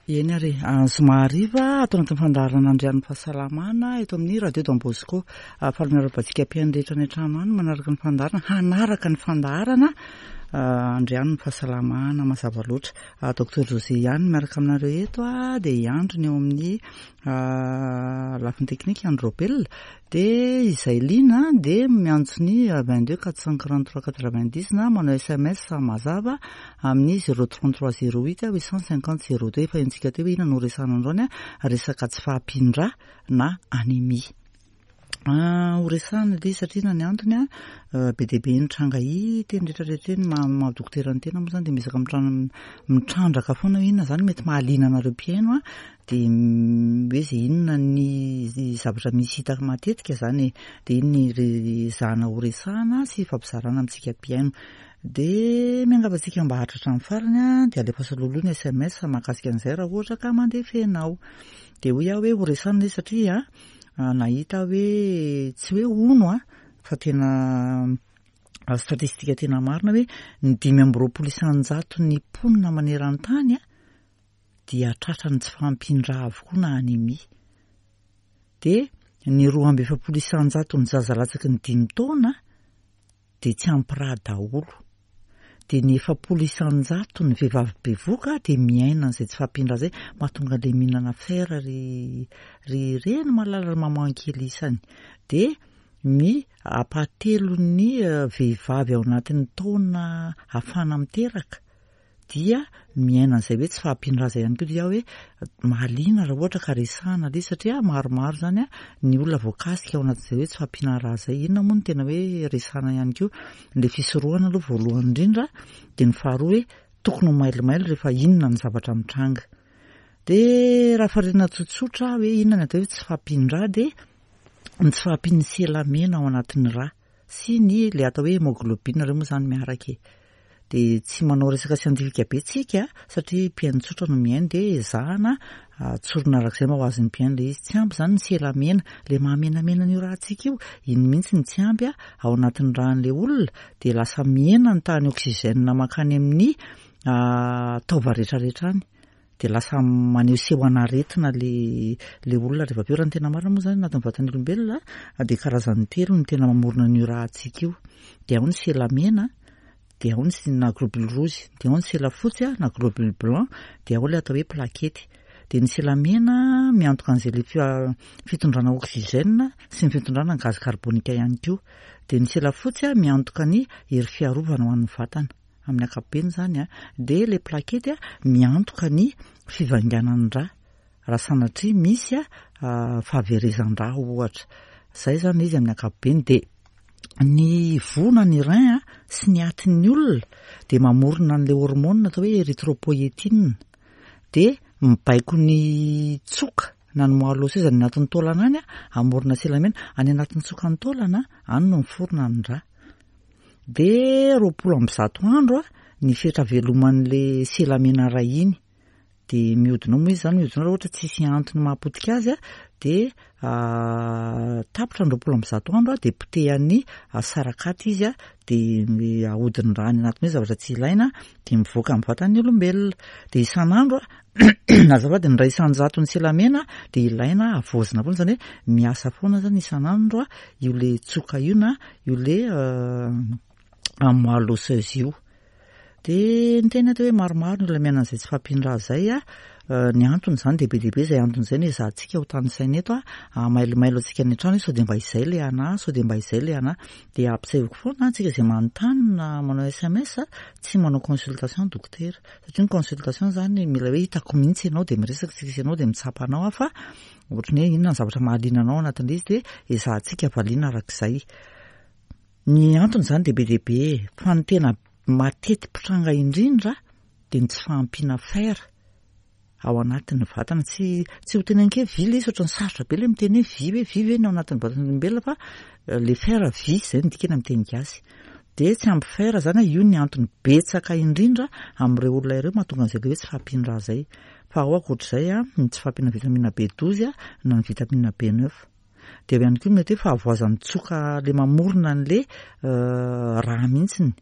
Eny ary e, zoma hariva ato anatin'ny fandaharana Andrian'ny Fahasalamana eto amin'ny Radio Don Bosco. Faly miarahaba antsika mpihaino rehetra any an-trano any manaraka ny fandaharana, hanaraka ny fandaharana Andrian'ny Fahasalamana mazava loatra. Docteur José ihany miaraka aminareo eto dia i Andry ny eo amin'ny lafiny teknika, Andry Raobelina. Dia izay liana dia miantso ny 22 443 90 na manao sms mazava amin'ny 033 08 850 02. Efa henontsika teo hoe inona no resahana androany, resaka tsy fahampian-drà na anémie. Ho resahana ilay izy satria inona ny antony, be dia be ny tranga hita eny rehetra rehetra eny, maha dokotera ny tena moa izany dia miezaka mitrandraka foana hoe inona izany mety mahaliana anareo mpihaino. Dia hoe izay inona ny zavatra misy hita matetika izany e. Dia iny ny ezahana ho resahana sy ifampizarana amintsika mpihaino. Dia miangavy antsika mba haharitra hatramin'ny farany an, dia alefaso alohaloha ny sms mahakasika an'izay raha ohatra ka mandeha fenao. Dia hoy aho hoe ho resahana izy satria nahita hoe tsy hoe hono an, fa tena statistika tena marina hoe ny 25 isan-jaton'ny mponina maneran-tany an, dia tratran'ny tsy fahampian-drà avokoa na anemia. Dia ny 42 isan-jaton'ny zaza latsaky ny dimy taona dia tsy ampy rà daholo. Dia ny 40 isan-jaton'ny vehivavy bevoka dia miaina an'izay tsy fahampian-drà izay, mahatonga an'ilay mihinana fer ry ry reny malala ry maman kely isany. Dia ny ampahatelon'ny vehivavy ao anatin'ny taona ahafahana miteraka dia miaina an'izay hoe tsy fahampian-dra izay ihany koa dia hoe mahaliana raha ohatra ka resahana ilay izy satria maromaro izany ny olona voakasika ao anatin'izay hoe tsy fahampiana ra izay. Inona moa no tena hoe resahana ihany koa? Ilay fisorohana aloha voalohany indrindra dia ny faharoa hoe tokony ho mailomailo rehefa inona ny zavatra mitranga. Dia raha faritana tsotsotra hoe inona ny atao hoe tsy fahampian-dra dia ny tsy fahampian'ny sela mena ao anatin'ny ra. sy ny le atao hoe hémoglobine ireo moa izany miaraka e. Dia tsy manao resaka siantifika be tsika satria mpihaino tsotra no mihaino dia ezahana tsorina araka izay mba ho azon'ny mpihaino ilay izy. Tsy ampy izany ny sela mena, ilay mahamenamena an'io ràntsika io, iny mihitsy no tsy ampy ao anatin'ny ràn'ilay olona dia lasa mihena ny tahan'ny oxygène mankany amin'ny taova rehetrarehetra any. Dia lasa maneho sehon'aretina le le olona rehefa avy eo. Raha ny tena marina moa izany anatin'ny vatan'ny olombelona dia karazany telo no tena mamorona an'io ràntsika io. Dia ao ny sela mena, dia ao ny na globule rouge, dia ao ny sela fotsy na globule blanc, dia ao ilay atao hoe plaquette. Dia ny sela mena miantoka an'izay le fitondrana oxygène sy ny fitondrana gaz carbonique ihany koa. Dia ny sela fotsy miantoka ny hery fiarovana ho an'ny vatana. Amin'ny ankapobeny izany dia ilay plaquette miantoka ny fivainganan'ny rà raha sanatria misy fahaverezan-drà ohatra. Izay izany ilay izy amin'ny ankapobeny. Dia ny voa na ny rein sy ny atin'ny olona dia mamorona an'ilay hormone atao hoe érythropoïétine. Dia mibaiko ny tsoka na ny moelle osseuse any anatin'ny taolana any hamorona sela mena. Any anatin'ny tsokan'ny taolana any no miforona ny rà. Dia 120 andro ny fetra veloman'le sela mena iray iny. Dia mihodina ao moa izy izany, mihodina ao raha ohatra tsisy antony mahapotika azy dia tapitra ny 120 andro dia potehan'ny sarakaty izy dia ahodin'ny rà any anatiny hoe zavatra tsy ilaina dia mivoaka amin'ny vatan'ny olombelona. Dia isan'andro azafady, ny 1% sela mena dia ilaina havaozina foana, izany hoe miasa foana izany isan'andro io le tsoka io na io le moelle osseuse io. Dia ny tena atao hoe maromaro ny olona miaina an'izay tsy fahampian-drà izay a, ny antony izany dia be dia be izay antony izay no ezahantsika ho tanisaina eto a, hamailomailo antsika any an-trano hoe sao dia mba izay ilay anà, sao dia mba izay ilay anà. Dia ampisehoako foana antsika izay manontany na manao sms tsy manao consultation dokotera. Satria ny consultation izany mila hoe hitako mihitsy ianao dia miresaka isika sy ianao dia mitsapa anao aho fa ohatran'ny hoe inona ny zavatra mahaliana anao anatin'ilay izy dia ezahantsika valiana arak'izay. Ny antony izany dia be dia be e, fa ny tena mateti-pitranga indrindra dia ny tsy fahampiana fer ao anatin'ny vatana. Tsy tsy ho teneniko hoe vy ilay izy, ohatran'ny sarotra be ilay miteny hoe vy hoe vy ve ny ao anatin'ny vatan'ny olombelona fa le fer vy izay no dikany amin'ny teny gasy. Dia tsy ampy fer izany, io ny antony betsaka indrindra amin'ireo olona ireo mahatonga an'izay ilay hoe tsy fahampian-drà izay. Fa ao ankoatr'izay ny tsy fahampiana vitamine B12 na ny vitamine B9. Dia eo ihany koa ny mety hoe fahavoazan'ny tsoka ilay mamorona an'ilay rà mihitsiny.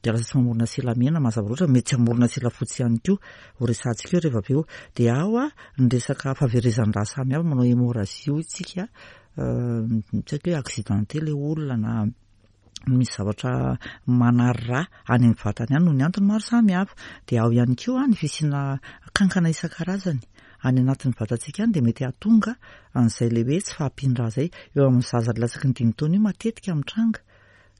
Dia lasa tsy mamorona sela mena mazava loatra, mety tsy hamorona sela fotsy ihany koa, ho resahantsika eo rehefa avy eo. Dia ao ny resaka fahaverezan-drà samihafa, manao hémorragie hoy tsika, tsy haiko hoe accidenté ilay olona na misy zavatra manary rà any amin'ny vatany any noho ny antony maro samihafa. Dia ao ihany koa ny fisiana kankana isan-karazany any anatin'ny vatantsika any dia mety hahatonga an'izay ilay hoe tsy fahampian-drà izay. Eo amin'ny zaza latsaky ny dimy taona io matetika mitranga.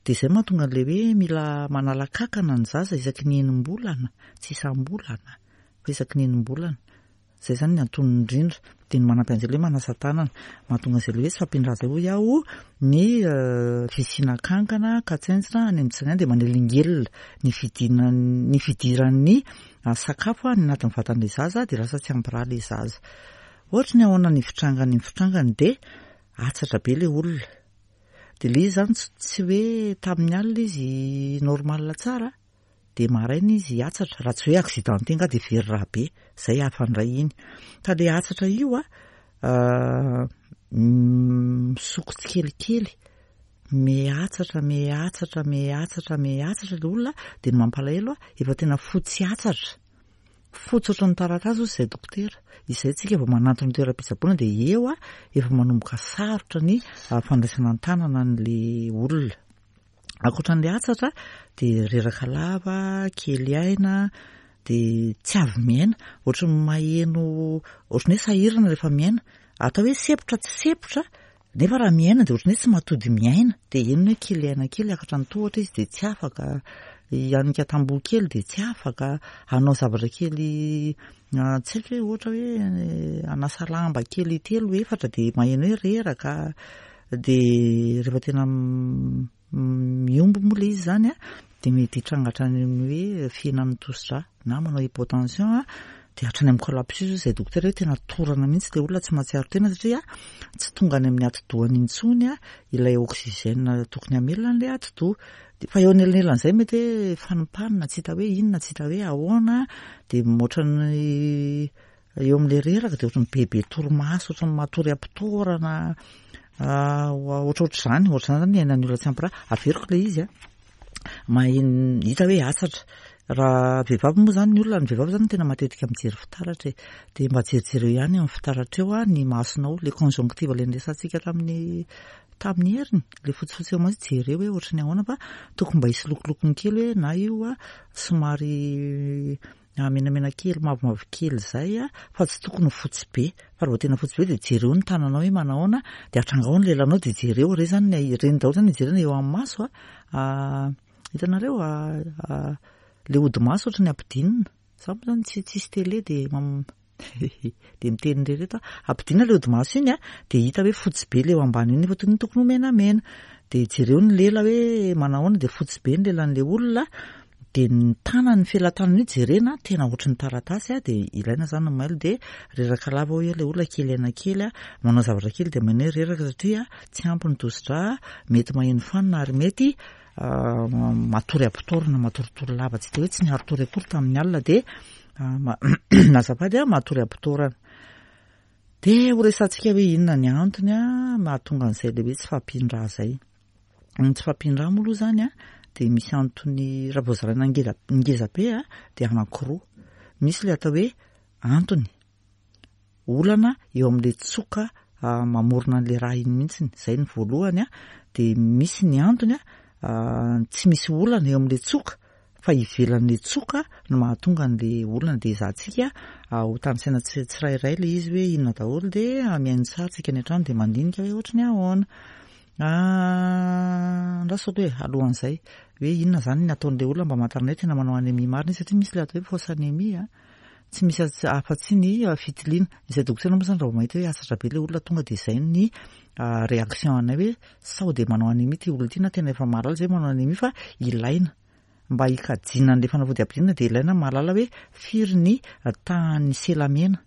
Dia izay mahatonga an'ilay hoe mila manala kankana ny zaza isaky ny enim-bolana, tsy isam-bolana fa isaky ny enim-bolana. Izay izany ny antonony indrindra. Dia ny manampy an'izay ilay hoe manasa tanana. Mahatonga an'izay ilay hoe tsy fahampian-drà izay hoy aho ny fisiana kankana, katsentsina any amin'ny tsinay dia manelingelina ny fidinan'ny ny fidiran'ny sakafo any anatin'ny vatan'ilay zaza dia lasa tsy ampy rà ilay zaza. Ohatry ny ahoana ny fitrangany? Ny fitrangany dia atsatra be ilay olona. Dia ilay izy izany tsy hoe tamin'ny alina izy normal tsara dia maraina izy hiatsatra, raha tsy hoe accidenté angaha dia very rà be, izay hafa indray iny. Fa ilay hatsatra io an, misoko tsikelikely, mihatsatra, mihatsatra, mihatsatra, mihatsatra ilay olona, dia ny mampalahelo an, efa tena fotsy hatsatra. Fotsy ohatran'ny taratasy hozy izay dokotera. Izay tsika vao manantona ny toeram-pitsaboana dia eo efa manomboka sarotra ny fandraisana an-tanana an'ilay olona. Ankoatra an'ilay hatsatra dia reraka lava, kely aina, dia tsy avy miaina. Ohatran'ny maheno, ohatran'ny hoe sahirana rehefa miaina. Atao hoe sempotra tsy sempotra Nefa raha miaina dia ohatran'ny hoe tsy mahatody miaina, dia henony hoe kely aina kely hiakatra ny tohatra izy dia tsy afaka, hianika tamboho kely dia tsy afaka, hanao zavatra kely tsy haiko hoe ohatra hoe hanasa lamba kely telo efatra dia maheno hoe reraka, dia rehefa tena Mihombo moa ilay izy izany dia mety hitranga hatrany amin'ny hoe fihenan'ny tosidra na manao hypotension dia hatrany amin'ny collapsus hoy izay dokotera hoe tena torana mihitsy ilay olona tsy mahatsiaro tena satria tsy tonga any amin'ny atidohany intsony ilay oxygène tokony hamelona an'ilay atidoha. Fa eo anelanelan'izay mety hoe fanimpanina tsy hita hoe inona tsy hita hoe ahoana dia ohatran'ny Eo amin'ilay reraka dia ohatran'ny bebe torimaso, ohatran'ny matory am-pitoerana, ohatrohatr'izany, ohatr'izany zany ny iainan'ny olona tsy ampy rà. Averiko ilay izy an, maheno, hita hoe hatsatra. Raha vehivavy moa zany ny olona, ny vehivavy zany no tena matetika mijery fitaratra e. Dia mba jerijereo ihany amin'ny fitaratra eo ny masonao, ilay conjonctive ilay niresahantsika tamin'ny tamin'ny heriny, ilay fotsifotsy eo maso, jereo hoe ohatran'ny ahoana fa tokony mba hisy lokolokony kely hoe na io somary Menamena kely mavomavo kely izay fa tsy tokony ho fotsy be fa raha vao tena fotsy be dia jereo ny tananao hoe manahoana dia atrangao ny lelanao dia jereo ireny zany ny ireny daholo zany jerena eo amin'ny maso a hitanareo le hodi-maso ohatry ny ampidinina za moa zany tsy tsisy télé dia dia miteny irery eto aho ampidinina le hodi-maso iny a dia hita hoe fotsy be le eo ambany iny nefa tokony tokony ho menamena dia jereo ny lela hoe manahoana dia fotsy be ny lelan'le olona Dia ny tanany, ny felatanany io jerena, tena ohatry ny taratasy dia ilaina izany ny mailo dia reraka lava hoy ilay olona kely aina kely, manao zavatra kely dia maheno hoe reraka satria tsy ampy ny tosi-drà, mety maheno fanina ary mety matory am-potorana, matoritory lava tsy dia hoe tsy niari-tory akory tamin'ny alina dia azafady matory am-potorana. Dia ho resahantsika hoe inona ny antony mahatonga an'izay ilay hoe tsy fahampian-drà izay. Ny tsy fahampian-drà moa aloha izany dia misy antony raha vao zaraina ngeza ngeza be dia anankiroa. Misy ilay atao hoe antony, olana eo amin'ilay tsoka mamorona an'ilay rà iny mihitsy, izay ny voalohany dia misy ny antony tsy misy olana eo amin'ilay tsoka fa ivelan'ilay tsoka no mahatonga an'ilay olana dia ezahantsika ho tanisaina tsirairay ilay izy hoe inona daholo dia mihaino tsara tsika any an-trano dia mandinika hoe ohatry ny ahoana. Andraso aloha e, alohan'izay hoe inona izany ny ataon'ilay olona mba hamantarana hoe tena manao anémie marina izy satria misy ilay atao hoe fausse anémie a, tsy misy afa-tsy ny fitiliana. Izay dokotera moa izany raha vao mahita hoe hatsatra be ilay olona tonga dia izay ny réaction anay hoe sao dia manao anémie ity olona ity na tena efa mahalala izay manao anémie fa ilaina mba hikajiana an'ilay fanafody ampidinina dia ilaina mahalala hoe firy ny tahan'ny sela mena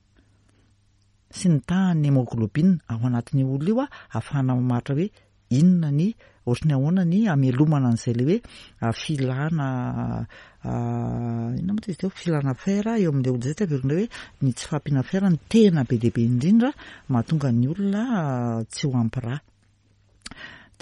sy ny tahan'ny hémoglobine ao anatin'io olona io ahafahana mamaritra hoe inona ny ohatry ny ahoana ny hamelomana an'izay ilay hoe filana inona moa izy teo filana fer eo amin'ilay olona izay tsy averina hoe ny tsy fahampiana fer no tena be dia be indrindra mahatonga ny olona tsy ho ampy rà.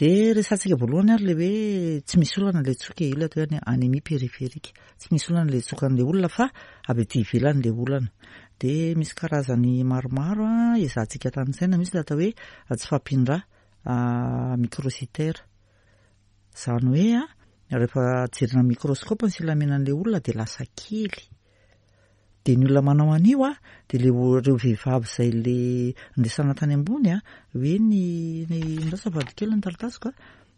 Dia resahantsika voalohany ary ilay hoe tsy misy olana ilay tsoka e, io ilay atao hoe anémie périphérique. Tsy misy olana ilay tsokan'ilay olona fa avy aty ivelany ilay olana. Dia misy karazany maromaro ezahantsika tanisaina, misy ilay atao hoe tsy fahampian-drà microcytaire. Izany hoe rehefa jerena amin'ny microscope ny silamenan'ilay olona dia lasa kely. Dia ny olona manao an'io a, dia le ireo vehivavy izay le niresahana tany ambony a, hoe ny ny lasa vadiko kely ny taratasiko a,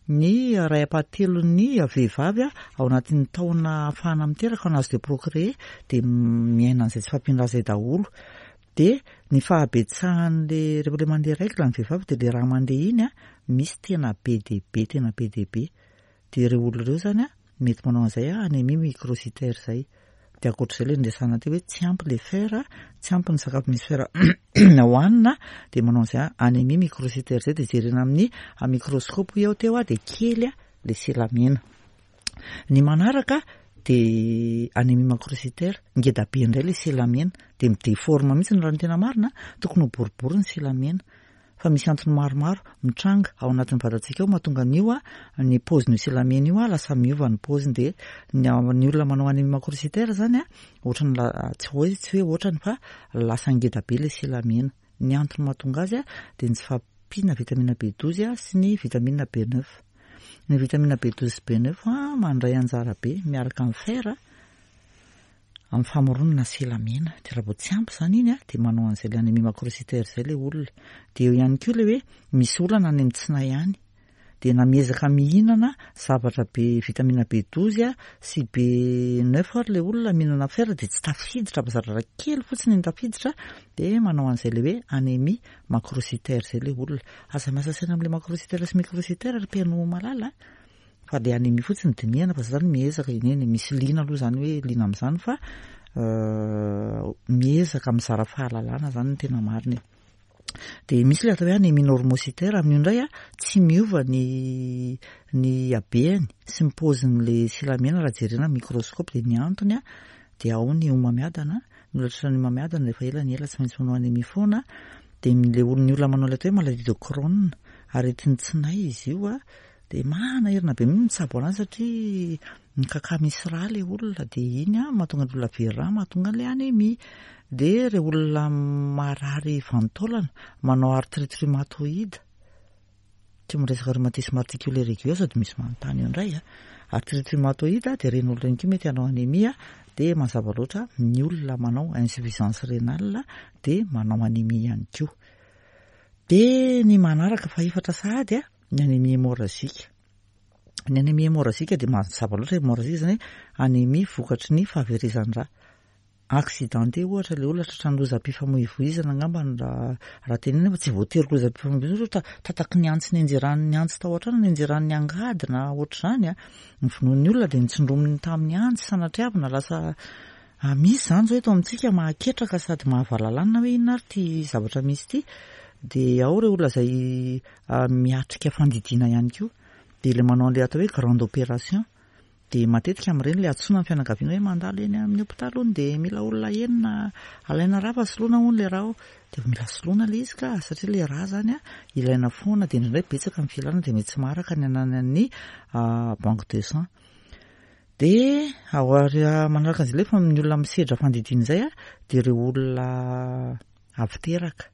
ny iray ampahatelon'ny vehivavy a ao anatin'ny taona ahafahana miteraka en âge de procréer dia miaina an'izay tsy fahampian-drà izay daholo. Dia ny fahabetsahan'le rehefa le mandeha règle ny vehivavy dia le rà mandeha iny a, misy tena be dia be tena be dia be. Dia ireo olona ireo izany mety manao an'izay anémie microcytaire izay. Dia ankoatr'izay ilay niresahana teo hoe tsy ampy ilay fer, tsy ampy ny sakafo misy fer hohanina, dia manao an'izay anémie microcytaire izay. Dia jerena amin'ny microscope hoy aho teo dia kely ilay sela mena. Ny manaraka dia anémie macrocytaire, ngeda be indray ilay sela mena, dia mi-déforme mihitsy raha ny tena marina, tokony ho boribory ny sela mena. Fa misy antony maromaro mitranga ao anatin'ny vatantsika ao mahatonga an'io ny paozin'io silamena io lasa miova ny paoziny dia ny ny olona manao anémie macrocytaire zany a ohatrany tsy hoe tsy hoe ohatrany fa lasa ngeda be ilay silamena. Ny antony mahatonga azy dia ny tsy fahampiana vitamine B12 sy ny vitamine B9. Ny vitamine B12 sy B9 mandray anjara be miaraka amin'ny fer Amin'ny famoronana sela mena. Dia raha vao tsy ampy izany iny dia manao an'izay ilay anémie macrocytaire izay ilay olona. Dia eo ihany koa ilay hoe misy olana any amin'ny tsinay any. Dia na miezaka mihinana zavatra be vitamine B12 sy B9 ary ilay olona mihinana fer dia tsy tafiditra fa zavatra kely fotsiny no tafiditra dia manao an'izay ilay hoe anémie macrocytaire izay ilay olona. Aza miasa saina amin'ilay macrocytaire sy microcytaire ry mpihaino malala a! Fa le anémie fotsiny dinihana fa za zany miezaka eny e, misy liana aloha zany hoe liana amin'izany fa miezaka mizara fahalalana zany ny tena marina e. Dia misy ilay atao hoe anémie normocytaire, amin'io indray a tsy miova ny ny habehany sy ny paozin'le silamena raha jerena amin'ny microscope dia ny antony a dia ao ny homamiadana, ny olona tratran'ny homamiadana rehefa ela ny ela tsy maintsy manao anémie foana, dia le olona ny olona manao ilay atao hoe maladie de Crohn, aretin'ny tsinay izy io a, Dia manahirana be mihitsy mitsabo an'azy satria mikaka misy rà ilay olona dia iny an mahatonga ny olona very rà mahatonga an'ilay anémie. Dia ireo olona marary vanin-taolana manao arthrite rhumatoïde, tsy miresaka rhumatisme articulaire aigu aho sao dia misy manontany eo indray an. Arthrite rhumatoïde dia ireny olona ireny koa mety hanao anémie dia mazava loatra ny olona manao insuffisance rénale dia manao anémie ihany koa. Dia ny manaraka fahefatra sahady an. Ny anémie hémorragique. Ny anémie hémorragique dia mazava loatra hémorragique izany hoe anémie vokatry ny fahaverezan-drà. Accidenté ohatra ilay olona tratran'ny lozam-pifamoivoizana angamba ny raha raha tenenina fa tsy voatery lozam-pifamoivoizana ohatra tataky ny antsy nianjeran'ny antsy tao an-trano nianjeran'ny angady na ohatr'izany a. Ny vonoan'ny olona dia nitsindrominy tamin'ny antsy sanatriavina lasa Misy izany izao eto amintsika mahaketraka sady mahavalalanina hoe inona ary ity zavatra misy ity. Dia ao ireo olona izay miatrika fandidiana ihany koa. Dia ilay manao an'ilay atao hoe grande opération. Dia matetika amin'ireny ilay antsoina ny fianakaviana hoe mandalo eny amin'ny hopitaly hono dia mila olona enina alaina rà fa soloina hono ilay rà ao. Dia mila soloina ilay izy ka satria ilay rà izany ilaina foana dia indraindray betsaka ny filana dia mety tsy maharaka ny ananan'ny banque de sang. Dia ao ary manaraka an'izay lefa ny olona misedra fandidiana izay dia ireo olona avy teraka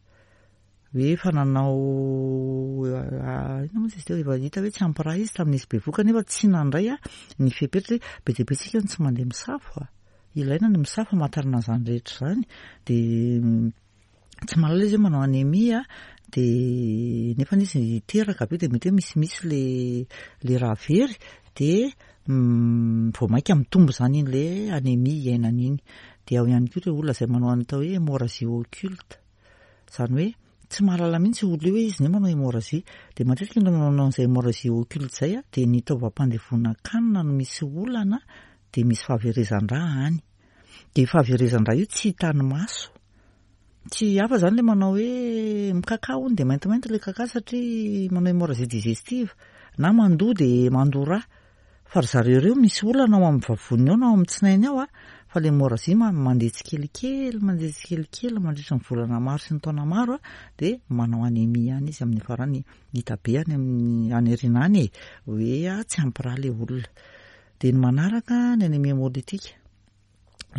hoe efa nanao inona moa izy teo efa hita hoe tsy ampy rà izy tamin'izy bevohoka nefa tsy nandray ny fepetra hoe be dia be tsika no tsy mandeha misafo a, ilaina ny misafo hamantarana an'izany rehetra izany dia tsy mahalala izy hoe manao anémie dia nefa izy hiteraka avy eo dia mety hoe misimisy le le rà very dia vao mainka mitombo izany iny le anémie iainany iny. Dia ao ihany koa ireo olona izay manao ny atao hoe hémorragie occulte, izany hoe tsy mahalala mihitsy io olona io hoe izy ne manao hémorragie. Dia matetika ny olona manao an'izay hémorragie occulte izay dia ny taovam-pandevonan-kanina no misy olana dia misy fahaverezan-drà any. Dia io fahaverezan-drà io tsy hitan'ny maso. Tsy hafa izany ilay manao hoe mikakà hono dia maintimainty ilay kakà satria manao hémorragie digestive na mandoa dia mandoa rà. Fa ry zareo ireo misy olana ao amin'ny vavoniny ao na ao amin'ny tsinainy ao a, fa le hémorragie mandeha tsikelikely, mandeha tsikelikely mandritra ny volana maro sy ny taona maro a, dia manao anémie ihany izy amin'ny farany, hita be any amin'ny any aoriana any e, hoe tsy ampy rà le olona. Dia ny manaraka ny anémie hémolytique.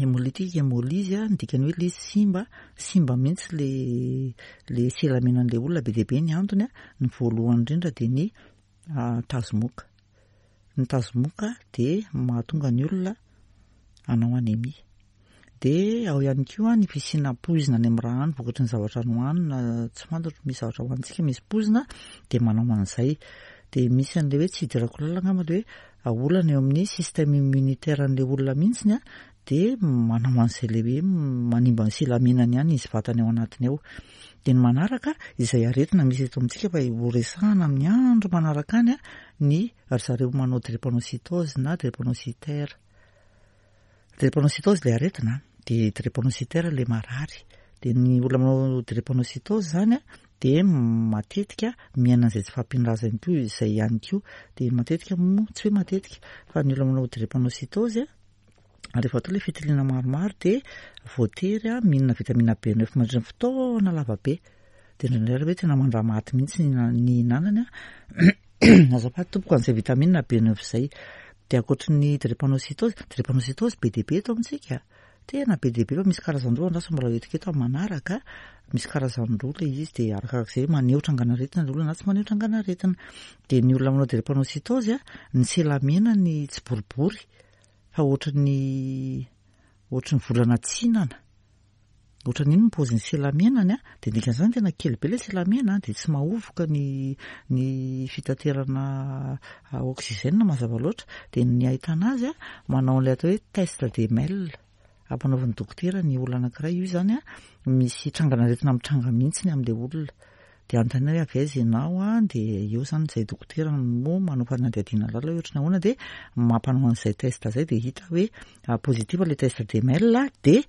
Hémolytique, hémolyse, ny dikany hoe le izy simba, simba mihitsy le le selamenan'ilay olona, be dia be ny antony a, ny voalohany indrindra dia ny tazomoka. Ny tazomoka dia mahatonga ny olona hanao anémie. Dia ao ihany koa ny fisiana poizina any amin'ny rà any vokatry ny zavatra nohanina, tsy fantatro, misy zavatra hohanintsika misy poizina dia manao an'izay. Dia misy an'ilay hoe tsy idirako lalina angamba ilay hoe olana eo amin'ny système immunitaire an'ilay olona mihitsiny dia manao an'izay ilay hoe manimba ny silamenany ihany izy vatany ao anatiny ao. Dia ny manaraka, izay aretina misy eto amintsika fa ho resahana amin'ny andro manaraka any ny ry zareo manao drépanocytose na drépanocytaire. Drépanocytose ilay aretina, dia drépanocytaire ilay marary. Dia ny olona manao drépanocytose izany dia matetika miaina an'izay tsy fahampian'ny rà ihany koa, izay ihany koa. Dia matetika moa, tsy hoe matetika, fa ny olona manao drépanocytose rehefa atao ilay fitiliana maromaro dia voatery mihinana vitamine B9 mandritra ny fotoana lava be. Dia indraindray ary hoe tena mandramaty mihitsy ny nihinanany. Azafady tompoko an'izay vitamine B9 izay. Dia ankoatry ny drépanocytose, drépanocytose be dia be eto amintsika. Tena be dia be fa misy karazany roa andraso mbola hoentiko eto amin'ny manaraka. Misy karazany roa ilay izy dia arakarak'izay hoe maneho trangan'aretina ilay olona na tsy maneho trangan'aretina. Dia ny olona manao drépanocytose, ny sela mena ny tsy boribory fa ohatran'ny ohatran'ny volana tsinana. Ohatran'ny iny ny paozin'ny sela menany a, dia ny dikan'izany tena kely be ilay sela mena dia tsy mahovoka ny ny fitaterana oxygène mazava loatra. Dia ny ahitana azy a, manao an'ilay atao hoe test de Mel. Ampanaovin'ny dokotera ny olona anankiray io izany a, misy trangan'aretina mitranga mihitsy ny amin'ilay olona. Dia anontaniana hoe avy aiza ianao a, dia eo izany izay dokotera no manao fanadihadiana lalina hoe ohatran'ny ahoana dia mampanao an'izay test izay dia hita hoe positif ilay test de Mel dia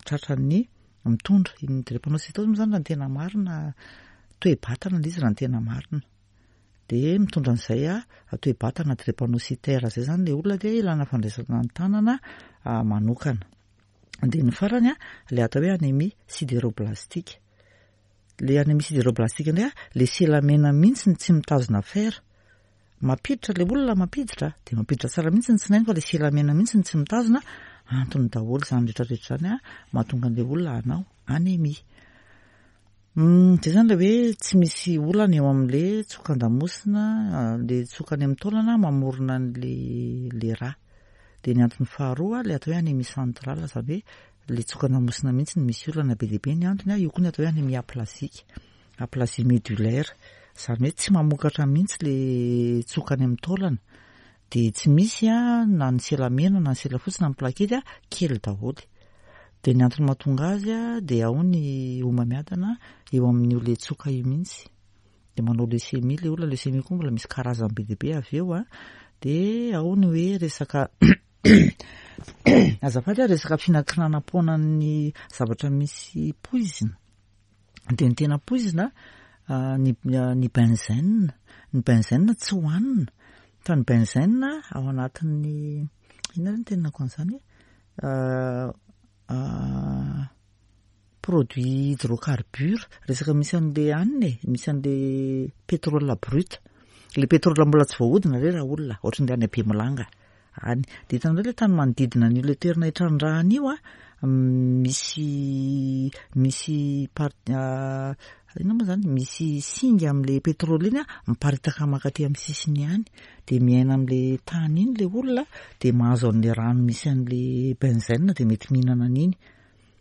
tratran'ny mitondra. Iny drépanocytose moa izany raha ny tena marina toe-batana ilay izy raha ny tena marina. Dia mitondra an'izay toe-batana drépanocytaire izay izany ilay olona dia ilana fandraisana an-tanana manokana. Dia ny farany ilay atao hoe anémie sidéroblastique. Ilay anémie sidéroblastique indray ilay sela mena mihitsy no tsy mitazona fer. Mampiditra ilay olona mampiditra, dia mampiditra tsara mihitsy ny tsinainy fa ilay sela mena mihitsy no tsy mitazona. Antony daholo izany rehetrarehetra izany mahatonga an'ilay olona hanao anémie. Izay izany ilay hoe tsy misy olana eo amin'ilay tsokan-damosina, ilay tsoka any amin'ny taolana mamorona an'ilay ilay rà. Dia ny antony faharoa, ilay atao hoe anémie centrale, izany hoe ilay tsokan-damosina mihitsy no misy olana be dia be ny antony, io koa ny atao hoe anémie aplasique, aplasie médullaire, izany hoe tsy mamokatra mihitsy ilay tsoka any amin'ny taolana. Dia tsy misy na ny sela mena na ny sela fotsy na ny plakety, kely daholo. Dia ny antony mahatonga azy dia ao ny homamiadana eo amin'io le tsoka io mihitsy. Dia manao leucémie ilay olona, leucémie koa mbola misy karazany be dia be avy eo an. Dia ao ny hoe resaka azafady a, resaka fihinankinanam-poanan'ny zavatra misy poizina. Dia ny tena poizina ny ny benzène, ny benzène tsy hohanina fa ny benzène ao anatin'ny inona ary ny tenenako an'izany e? Produit hydrocarbure, resaka misy an'le hanina e, misy an'le pétrole brut, le pétrole mbola tsy voahodina re raolona, ohatran'le any Bemolanga any. Dia hitanareo le tany manodidina an'io le toerana itrandrahana io an, misy misy part inona moa izany, misy singa amin'le pétrole iny an, miparitaka mankaty amin'ny sisiny any. Dia miaina amin'le tany iny le olona, dia mahazo an'le rano misy an'le benzène dia mety mihinana an'iny.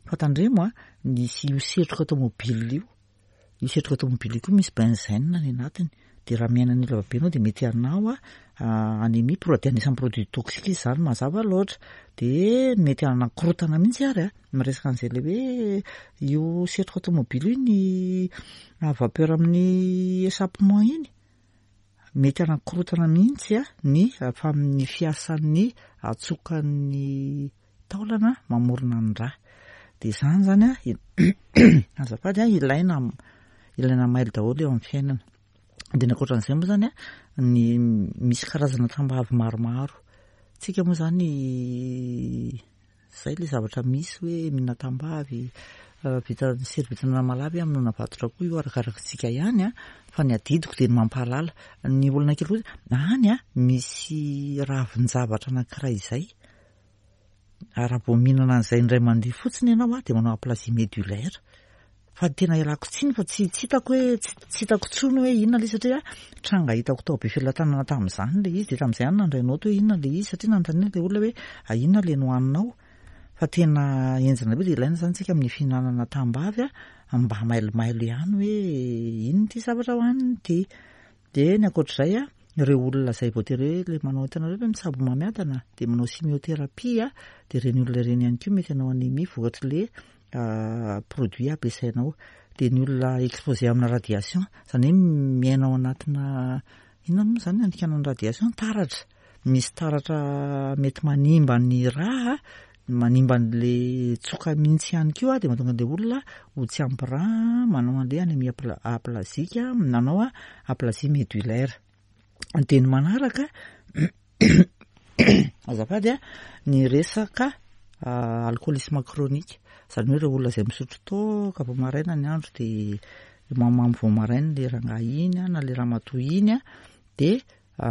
Fa tandremo an, misy io setroka tomobile io, io setroka tomobile io koa misy benzène any anatiny. Dia raha miaina an'io lavabe ianao dia mety hanao anémie, dia anisan'ny produit toxique izy izany mazava loatra. Dia mety hanakorontana mihitsy ary an, miresaka an'izay ilay hoe io setroka tomobile io ny vapeur amin'ny échappement iny. Mety hanakorontana mihitsy ny ny fiasan'ny hatsokan'ny taolana mamorona ny rà. Dia izany izany an, azafady an, ilaina ilaina mailo daholo eo amin'ny fiainana. Dia ny ankoatran'izay moa izany an, ny misy karazana tambavy maromaro. Tsika moa izany izay ilay zavatra misy hoe mihinana tambavy, vita ny sery vita an'Anamalavy hamonoana vatotra koa io arakaraka antsika ihany an, fa ny adidiko dia ny mampahalala. Ny olona kely koa any an, misy ravin-javatra anankiray izay, raha vao mihinana an'izay indray mandeha fotsiny ianao an, dia manao aplasie médullaire. Fa tena ialako tsiny fa tsy tsy hitako hoe tsy hitako intsony hoe inona ilay izy satria tranga hitako tao Befelatanana tamin'izany ilay izy dia tamin'izay aho nandray naoty hoe inona ilay izy satria nanontaniana ilay olona hoe inona ilay nohaninao fa tena henjana be dia ilaina izany tsika amin'ny fihinanana tambavy a mba mailomailo ihany hoe inona ity zavatra hohanina ity. Dia ny ankoatr'izay a, ireo olona izay voatery hoe ilay manao hitanareo ve mitsabo homamiadana dia manao chimiothérapie a, dia ireny olona ireny ihany koa mety hanao anémie vokatr'ilay produit ampiasainao. Dia ny olona exposé amina radiation, izany hoe miaina ao anatina, inona moa izany andikana ny radiation? Taratra. Misy taratra mety manimba ny rà, manimba an'ilay tsoka mihitsy ihany koa dia mahatonga an'ilay olona ho tsy ampy rà, manao an'ilay anémie aplasique, manao aplasie médullaire. Dia ny manaraka, azafady a, ny resaka alcoolisme chronique, izany hoe ireo olona izay misotro toaka vao maraina ny andro dia mamamo vao maraina ilay rangahy iny na ilay ramatoa iny dia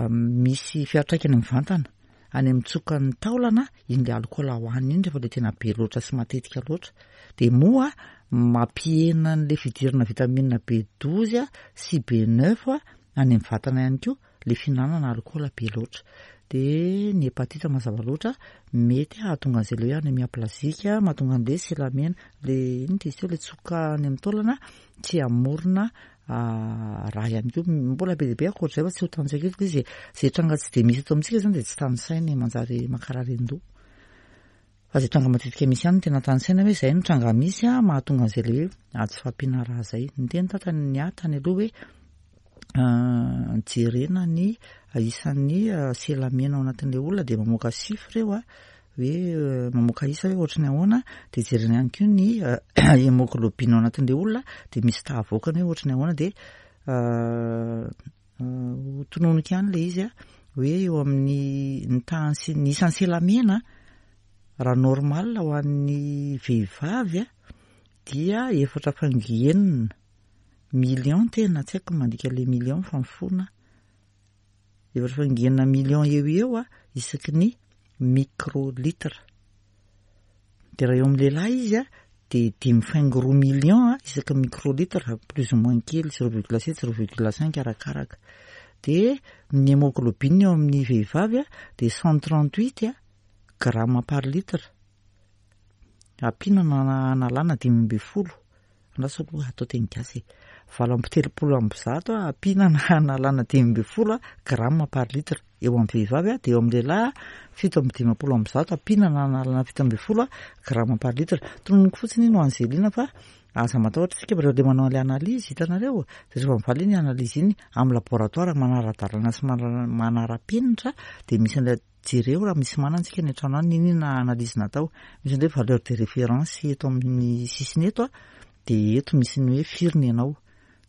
Misy fiantraikany mivantana any amin'ny tsokan'ny taolana iny le alikaola hohanina iny rehefa le tena be loatra sy matetika loatra. Dia moa mampihena an'le fidirana vitamine B12 sy B9 any amin'ny vatana ihany koa le fihinanana alikaola be loatra. Dia ny hepatite mazava loatra mety hahatonga an'izay le hoe anémie aplasique, mahatonga an'le selamena, le inona izy teo le tsoka any amin'ny taolana tsy hamorona Raha ihany koa mbola be dia be ankoatr'izay fa tsy ho tanisaiko eto ilay izy e. Izay tranga tsy dia misy eto amintsika izany dia tsy tanisaina e, manjary mankarary an-doha. Fa izay tranga matetika misy ihany no tena tanisaina hoe izay no tranga misy a, mahatonga an'izay ilay hoe tsy fahampiana rà izay. Niteny tata ny ahy tany aloha hoe jerena ny isan'ny sela mena ao anatin'ilay olona dia mamoaka chiffre eo a, hoe mamoaka isa hoe ohatry ny ahoana dia jerena ihany koa ny hémoglobine ao anatin'ilay olona dia misy taha avoakany hoe ohatry ny ahoana dia ho tononiko ihany ilay izy a hoe eo amin'ny ny tahan'ny sy ny isan'ny selamena raha normal ho an'ny vehivavy a dia efatra faingo enina million tena tsy haiko mandika le million fa mifona Efatra faingo enina million eo ho eo a isaky ny microlitre. Dia raha eo amin'ny lehilahy izy a dia dimy faingo roa million a isaky ny microlitre, plus ou moins kely, zéro virgule sept, zéro virgule cinq arakaraka. Dia ny hémoglobine eo amin'ny vehivavy a dia 138 a gramme par litre. Ampiana na analana 15. Andraso aloha atao teny gasy e. 138 ampiana na analana 15 gramme par litre eo amin'ny vehivavy dia eo amin'ny lehilahy 157 ampiana na analana 17 gramme par litre. Tononiko fotsiny iny ho an'i Zelina fa aza matahotra isika fa rehefa ilay manao an'ilay analyse hitanareo dia rehefa mivaly iny analyse iny amin'ny laboratoire manara-dalana sy manara-penitra dia misy an'ilay Jereo raha misy manana tsika any an-trano any n'inona analyse natao. Misy an'ilay hoe valeur de référence eto amin'ny sisiny eto a, dia eto misy ny hoe firy ny anao.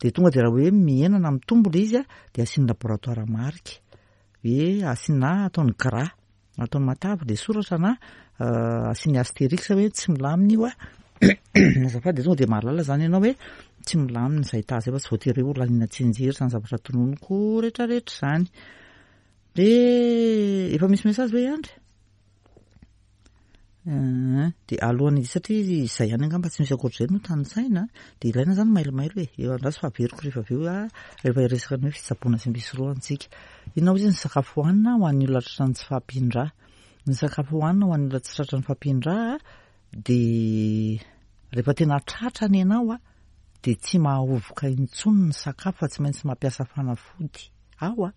Dia tonga dia raha hoe mihena na mitombo ilay izy a, dia asian'ny laboratoire marika. Hoe asiana ataony gras, ataony matavy ilay soratra na asiany astérix hoe tsy milamina io a. Azafady dia tonga dia mahalala izany ianao hoe tsy milamina izay taha izay fa tsy voatery hoe ho laniana tsianjery izany zavatra tononiko rehetrarehetra izany. Dia efa misy message ve Andry? Eh, dia alohan'ny satria izay ihany angamba tsy misy ankoatr'izay no tanisaina dia ilaina izany mailomailo e. Eo andraso fa averiko rehefa avy eo ah, rehefa hiresaka ny hoe fitsaboana sy ny fisorohana isika. Inona hozy ny sakafo hohanina ho an'ny olona tratran'ny tsy fahampian-drà? Ny sakafo hohanina ho an'ny olona tsy tratran'ny fahampian-drà dia rehefa tena tratra ny ianao ah, dia tsy mahahovoka intsony ny sakafo fa tsy maintsy mampiasa fanafody. Ao ah.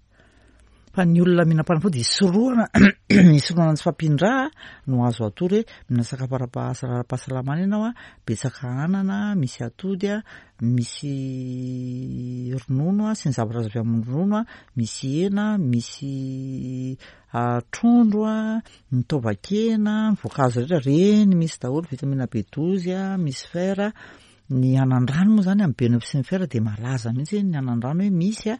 Fa ny olona mihinam-panafody hisorohana hisorohana ny tsy fahampian-drà no azo atoro hoe mihinana sakafo ara-pahasalamana ianao a, betsaka anana, misy atody a, misy ronono a sy ny zavatra azo avy amin'ny ronono a, misy hena, misy trondro a, ny taovan-kena, ny voankazo rehetra, ireny misy daholo, vitamine B12 a, misy fer a. Ny anandrano moa izany amin'ny B9 sy ny fer dia malaza mihitsy ny anandrano hoe misy a,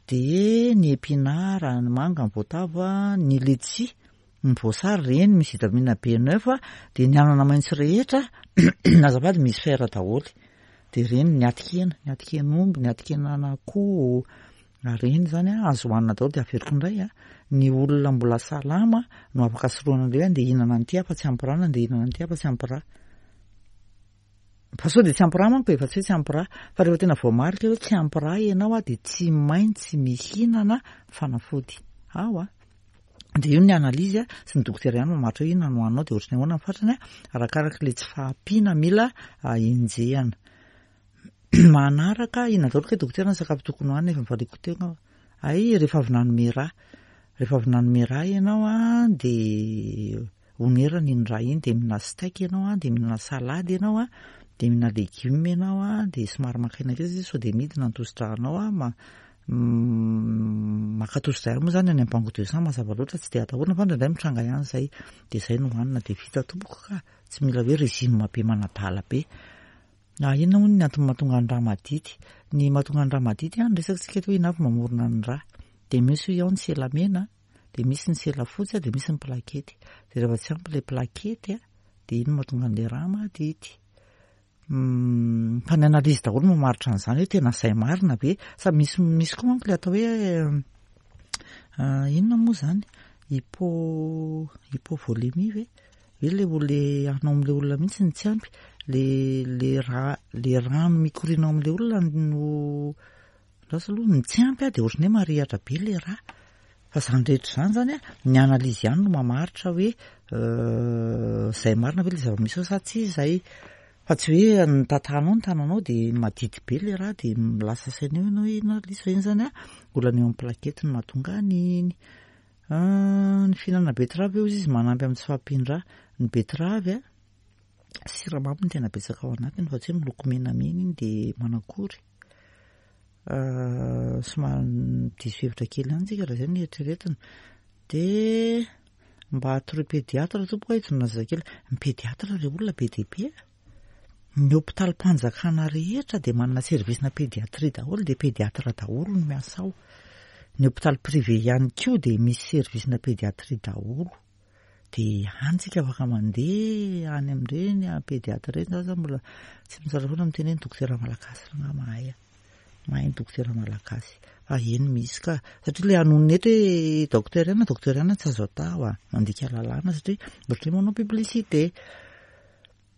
dia ny épinard, ny manga, ny voatavo, ny letchi, ny voasary ireny misy vitamine B9 dia ny anana maitso rehetra azafady misy fer daholo. Dia ireny ny atikena, ny atiken'omby, ny atikenan'akoho, ireny izany azo hohanina daholo dia averiko indray a, ny olona mbola salama no afaka sorohana an'ilay hoe andeha hihinana an'ity aho fa tsy ampy rà na andeha hihinana an'ity aho fa tsy ampy rà. Fa sao dia tsy ampy rà manko e, fa tsy hoe tsy ampy rà. Fa rehefa tena voamarika hoe tsy ampy rà ianao dia tsy maintsy mihinana fanafody. Ao a! Dia io ny analyse sy ny dokotera ihany mamaritra hoe inona no haninao dia ohatran'ny ahoana ny fatrany arakaraka ilay tsy fahampiana mila enjehana. Manaraka, inona daholo kay dokotera ny sakafo tokony hohanina efa nivaliako teo angamba. Hay rehefa avy nanome rà. Rehefa avy nanome rà ianao dia onerana iny rà iny dia mihinana steak ianao an, dia mihinana salade ianao an, dia mihinana legioma ianao an, dia somary maka aina kely satria sao dia midina ny tosi-drànao an, maka tosi-drà ihany moa izany any amin'ny banque de sang mazava loatra tsy dia atahorana fa indraindray mitranga ihany izay, dia izay no hohanina dia vita tompoko ka, tsy mila hoe régime be manadala be. Ah, inona hono ny antony mahatonga ny rà madity? Ny mahatonga ny rà madity an, niresaka tsika eto hoe inona avy mamorona ny rà, dia misy hoy aho ny sela mena, Dia misy ny sela fotsy dia misy ny plakety. Dia rehefa tsy ampy ilay plakety dia iny no mahatonga an'ilay rà madity. Fa ny analyse daholo no mamaritra an'izany hoe tena izay marina ve? Sa misy misy koa manko ilay atao hoe inona moa izany? Hypo hypovolémie ve? Hoe ilay olona anao amin'ilay olona mihitsy no tsy ampy. Ilay ilay rà ilay rano mikoriana ao amin'ilay olona no Lasa aloha ny tsy ampy dia ohatran'ny hoe marihatra be ilay rà. Fa izany rehetra izany izany an, ny analyse ihany no mamaritra hoe izay marina ve ilay zava-misy ao sa tsy izay. Fa tsy hoe ny tantanao ny tananao dia madity be ilay rà dia lasa saina eo ianao hoe inona ary ilay izy fa iny izany an, olana eo amin'ny plaquette no mahatonga an'iny. Ny fihinanana betterave hozy izy manampy amin'ny tsy fahampian-drà. Ny betterave an, siramamy no tena betsaka ao anatiny fa tsy hoe miloko menamena iny dia manakory. Somary diso hevitra kely ihany tsika raha izay no eritreretina. Dia mba atoroy pédiatre tompoko aho hitonona zazakely. Ny pédiatre re olona be dia be a! Ny hopitalim-panjakana rehetra dia manana service-na pédiatrie daholo dia pédiatre daholo no miasa ao. Ny hopitaly privé ihany koa dia misy service-na pédiatrie daholo. Dia any tsika afaka mandeha any amin'ireny pédiatre ireny, za zany mbola tsy mitsara foana miteny hoe ny dokotera malagasy rangaha mahay a! Mahay ny dokotera malagasy. Fa eny misy ka, satria ilay hanonona eto hoe docteur ihany na docteur ihany tsy azo atao a! Mandika lalàna satria ohatran'ny hoe manao publicité.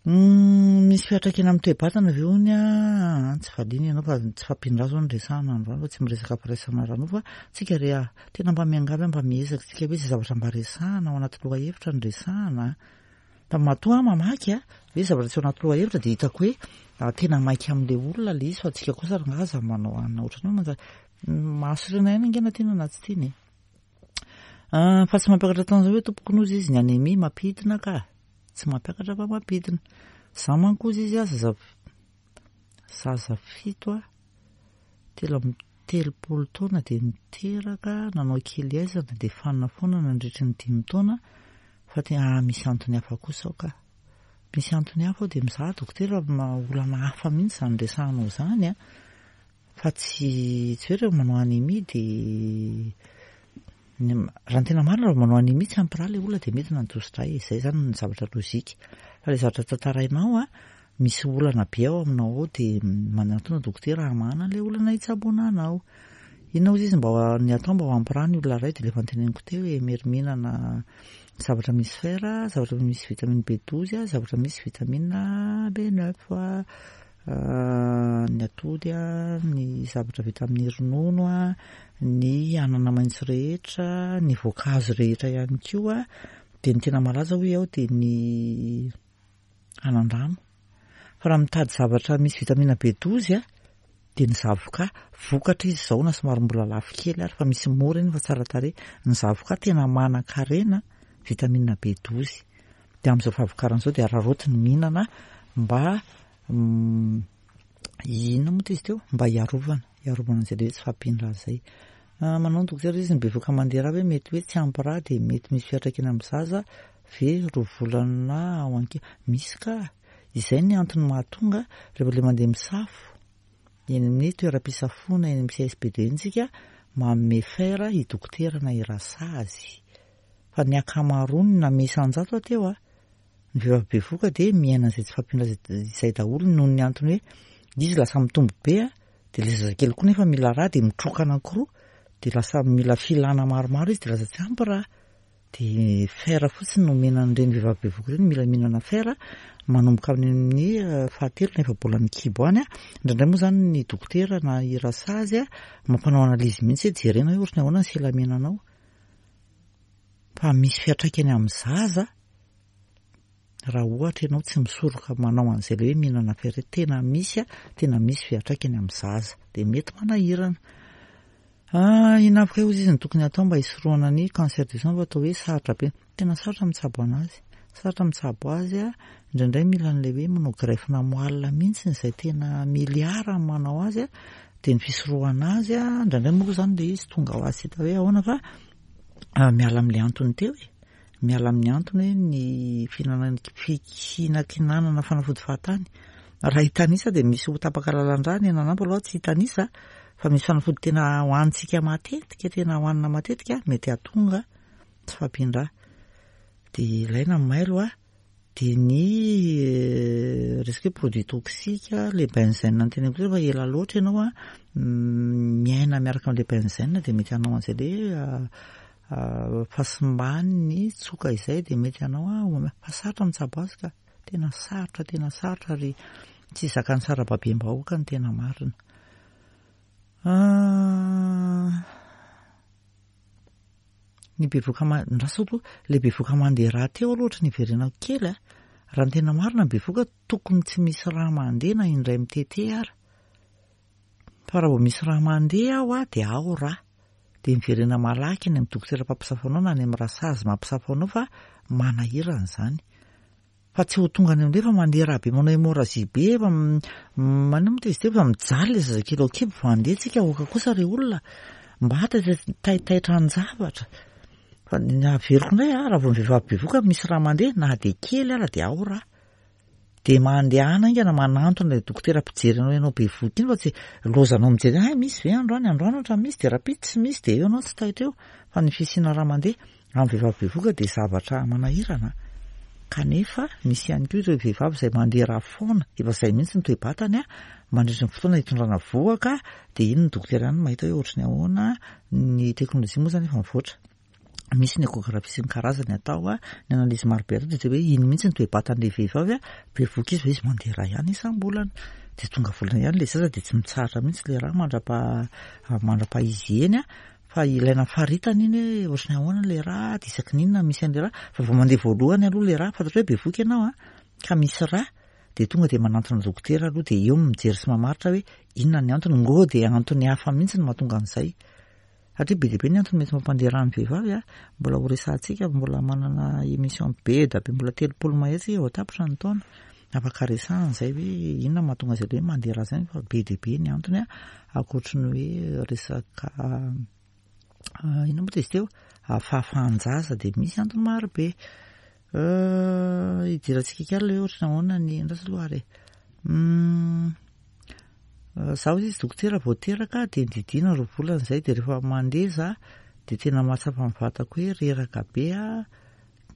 Misy fiantraikany amin'ny toe-batana ve hono an? Tsy valiana ianao fa tsy fampindra zao no resahana androany fa tsy miresaka firaisana ara-nofo fa tsika re ah, tena mba miangavy aho mba miezaka tsika hoe izay zavatra mba resahana ao anaty lohahevitra no resahana an. Fa matoa aho mamaky an, hoe zavatra tsy ao anaty lohahevitra dia hitako hoe tena maika amin'ilay olona ilay izy fa tsika kosa rangaha aza manao anona ohatran'ny hoe manjary mahasorena ihany ange na tiana na tsy tiana e. Fa tsy mampiakatra taona izao hoe tompoko nozy izy ny anémie mampidina ka. Tsy mampiakatra fa mampidina. Za manko ozy izy a zaza zaza fito a, 33 taona dia niteraka, nanao kely aizana dia fanina foana nandritry ny dimy taona fa tena ah misy antony hafa kosa ao ka. Misy antony hafa ao dia mizaha dokotera olana hafa mihitsy izany resahanao izany a. Fa tsy tsy hoe rehefa manao anémie dia raha ny tena marina raha manao anémie tsy ampy rà ilay olona dia midina ny tosi-drà e, izay izany ny zavatra logique. Fa ilay zavatra tantarainao an, misy olana be ao aminao ao dia manatona dokotera hamahana an'ilay olana hitsaboana anao. Inona hozy izy mba ny atao mba ho ampy rà ny olona iray dia ilay efa noteneniko teo hoe meri-mihinana zavatra misy fer, zavatra misy vitamine B12, zavatra misy vitamine B9. Ny atody, ny zavatra vita amin'ny ronono, ny anana maitso rehetra, ny voankazo rehetra ihany koa, dia ny tena malaza hoy aho dia ny anandrano. Fa raha mitady zavatra misy vitamine B12 dia ny zavoka, vokatra izy izao na somary mbola lafo kely ary fa misy mora iny fa tsara tarehy. Ny zavoka tena manan-karena vitamine B12. Dia amin'izao fahavokarana izao dia araraoty ny mihinana mba inona moa izy teo? Mba hiarovana, hiarovana an'izay le hoe tsy fahampian-drà izay. Ah, manao ny dokotera izy ny bevoka mandeha rà ve mety hoe tsy ampy rà dia mety misy fiantraikany amin'ny zaza ve roa volana ao ankibo? Misy ka! Izay ny antony mahatonga rehefa ilay mandeha misafo eny amin'ny toeram-pisafoana eny amin'ny CSB2 eny tsika manome fer i dokotera na i rasazy. Fa ny ankamaroany na isan-jato aho teo a, ny vehivavy bevohoka dia miaina an'izay tsy fahampiana izay daholo noho ny antony hoe izy lasa mitombo be a, dia ilay zazakely koa nefa mila rà dia mitroka anankiroa dia lasa mila filana maromaro izy dia lasa tsy ampy rà. Dia fer fotsiny no omena an'ireny vehivavy bevohoka ireny, mila mihinana fer manomboka amin'ny fahatelo na efa-bolan'ny kibo any. Indraindray moa izany ny dokotera na i rasazy mampanao analyse mihitsy hoe jerena hoe ohatran'ny ahoana ny sela menanao. Fa misy fiantraikany amin'ny zaza raha ohatra ianao tsy misoroka manao an'izay ilay hoe mihinana fer, tena misy, tena misy fiantraikany amin'ny zaza. Dia mety manahirana. Ah, inona avy kay ozy izy no tokony atao mba hisorohana ny cancer du sein fa atao hoe sarotra be. Tena sarotra mitsabo anazy. Sarotra mitsabo azy a, indraindray mila an'ilay hoe manao greffe-na moelle mihitsy izay tena milliard ny manao azy a, dia ny fisorohana azy a, indraindray moa izany ilay izy tonga ho azy tsy hita hoe ahoana fa miala amin'ilay antony teo e. Miala amin'ny antony hoe ny fihinanana fihinakinanana fanafody fahatany. Raha hitanisa dia misy ho tapaka lalan-drà ny ananambo aloha tsy hitanisa fa misy fanafody tena hohanintsika matetika, tena hohanina matetika mety hahatonga tsy fahampian-drà. Dia ilaina ny mailo a. Dia ny resaka hoe produit toxique, le benzène noteneniko teo fa ela loatra ianao a miaina miaraka amin'ilay benzène dia mety hanao an'izay le fahasimban'ny tsoka izay dia mety hanao fa sarotra mitsabo azy ka, tena sarotra tena sarotra ary tsy zakan'ny sarababem-bahoaka ny tena marina. Ny bevoka ma- ndraso aloha, ilay bevoka mandeha rà teo aloha ohatry ny hiverenako kely a, raha ny tena marina ny bevoka tokony tsy misy rà mandeha na indray mitete ara. Fa raha vao misy rà mandeha aho a, dia ao rà. Dia miverena malaky any amin'ny dokotera mpampisafo anao na any amin'ny rasazy mampisafo anao fa manahirana izany. Fa tsy ho tonga any amin'ilay efa mandeha rà be manao hémorragie be efa manino moa izy teo efa mijaly ilay zazakely ao an-kibo vao handeha tsika aoka kosa re olona mba taitaitra an-javatra. Fa ny averiko indray a, raha vao ny vehivavy bevoka misy rà mandeha na dia kely ara dia ao rà. Dia mandehana haingana manantona ilay dokotera mpijery anao ianao bevoka iny fa tsy lozanao mijery hay misy ve androany, androany ohatra misy dia rahampitso tsy misy dia eo ianao tsy taitra eo fa ny fisiana rà mandeha Amin'ny vehivavy bevohoka dia zavatra manahirana kanefa misy ihany koa ireo vehivavy izay mandeha rà foana, efa izay mihitsy ny toe-batany mandritra ny fotoana hitondrana vohoka dia iny ny dokotera ihany no mahita hoe ohatry ny ahoana, ny teknolojia moa izany efa mivoatra, misy ny échographie sy ny karazany atao, ny analyse maro be atao dia hoe iny mihitsy ny toe-batan'ilay vehivavy, bevohoka izy fa izy mandeha rà ihany isam-bolana, dia tonga volana ihany ilay zaza dia tsy mitsahatra mihitsy ilay rà mandra-paha mandra-paha-izy eny. Fa ilaina faritana iny hoe ohatry ny ahoana ilay rà, dia isaky ny inona misy an'ilay rà, fa vao mandeha voalohany aloha ilay rà, fantatrao hoe bevohoka ianao an, ka misy rà, dia tonga dia manantona dokotera aloha dia eo no mijery sy mamaritra hoe inona ny antony, ngô dia antony hafa mihitsy no mahatonga an'izay. Satria be dia be ny antony mety mampandeha rà ny vehivavy an, mbola ho resahantsika, mbola manana émission be dia be, mbola 30 mahery tsika vao tapitra ny taona. Afaka resahana izay hoe inona no mahatonga azy ireo hoe mandeha rà izany fa be dia be ny antony ankoatry ny hoe resaka inona moa izy teo fahafahan-jaza dia misy antony maro be. Idirantsika kely aloha hoe ohatry ny ahoana ny andraso aloha ary e. Za hoy izy dokotera vao teraka dia nididiana 2 volana izay dia rehefa mandeha za dia tena mahatsapa ny vatako hoe reraka be aho.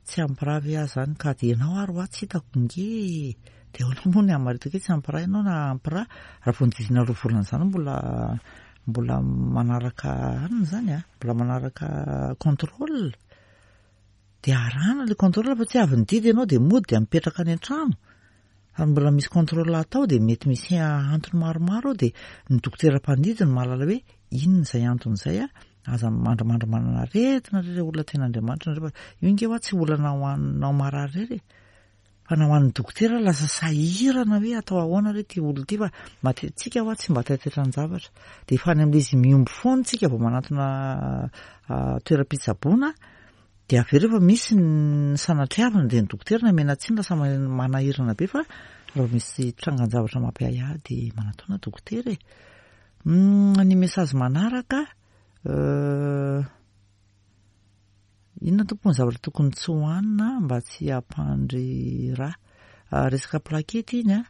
Tsy ampy rà ve aho zany ka dia ianao ary hoa tsy hitako nge e! Dia ahoana moa ny hamaritako hoe tsy ampy rà ianao na ampy rà? Raha vao nodidina 2 volana izany mbola mbola manaraka anona izany a, mbola manaraka contrôle. Dia arahana ilay contrôle fa tsy avy nididy ianao dia mody dia mipetraka any an-trano. Fa mbola misy contrôle atao dia mety misy antony maromaro ao dia ny dokotera mpandidy no mahalala hoe inona izay antony izay a, aza mandrimandry manana aretina re ilay olona tian'Andriamanitra nareo fa io nge hoa tsy olana ho anao marary irery e, fa na ho an'ny dokotera lasa sahirana hoe atao ahoana re ity olona ity fa matetika hoa tsy mba taitaitran-javatra dia efa any amin'ilay izy mihombo foana tsika vao manantona toeram-pitsaboana. Dia avy eo rehefa misy ny sanatriavina dia ny dokotera no omena tsiny lasa manahirana be fa raha vao misy trangan-javatra mampiahiahy dia manatona dokotera e. Ny message manaraka inona tompoko ny zavatra tokony tsy hohanina mba tsy hampandry rà? Resaka plaquette iny a,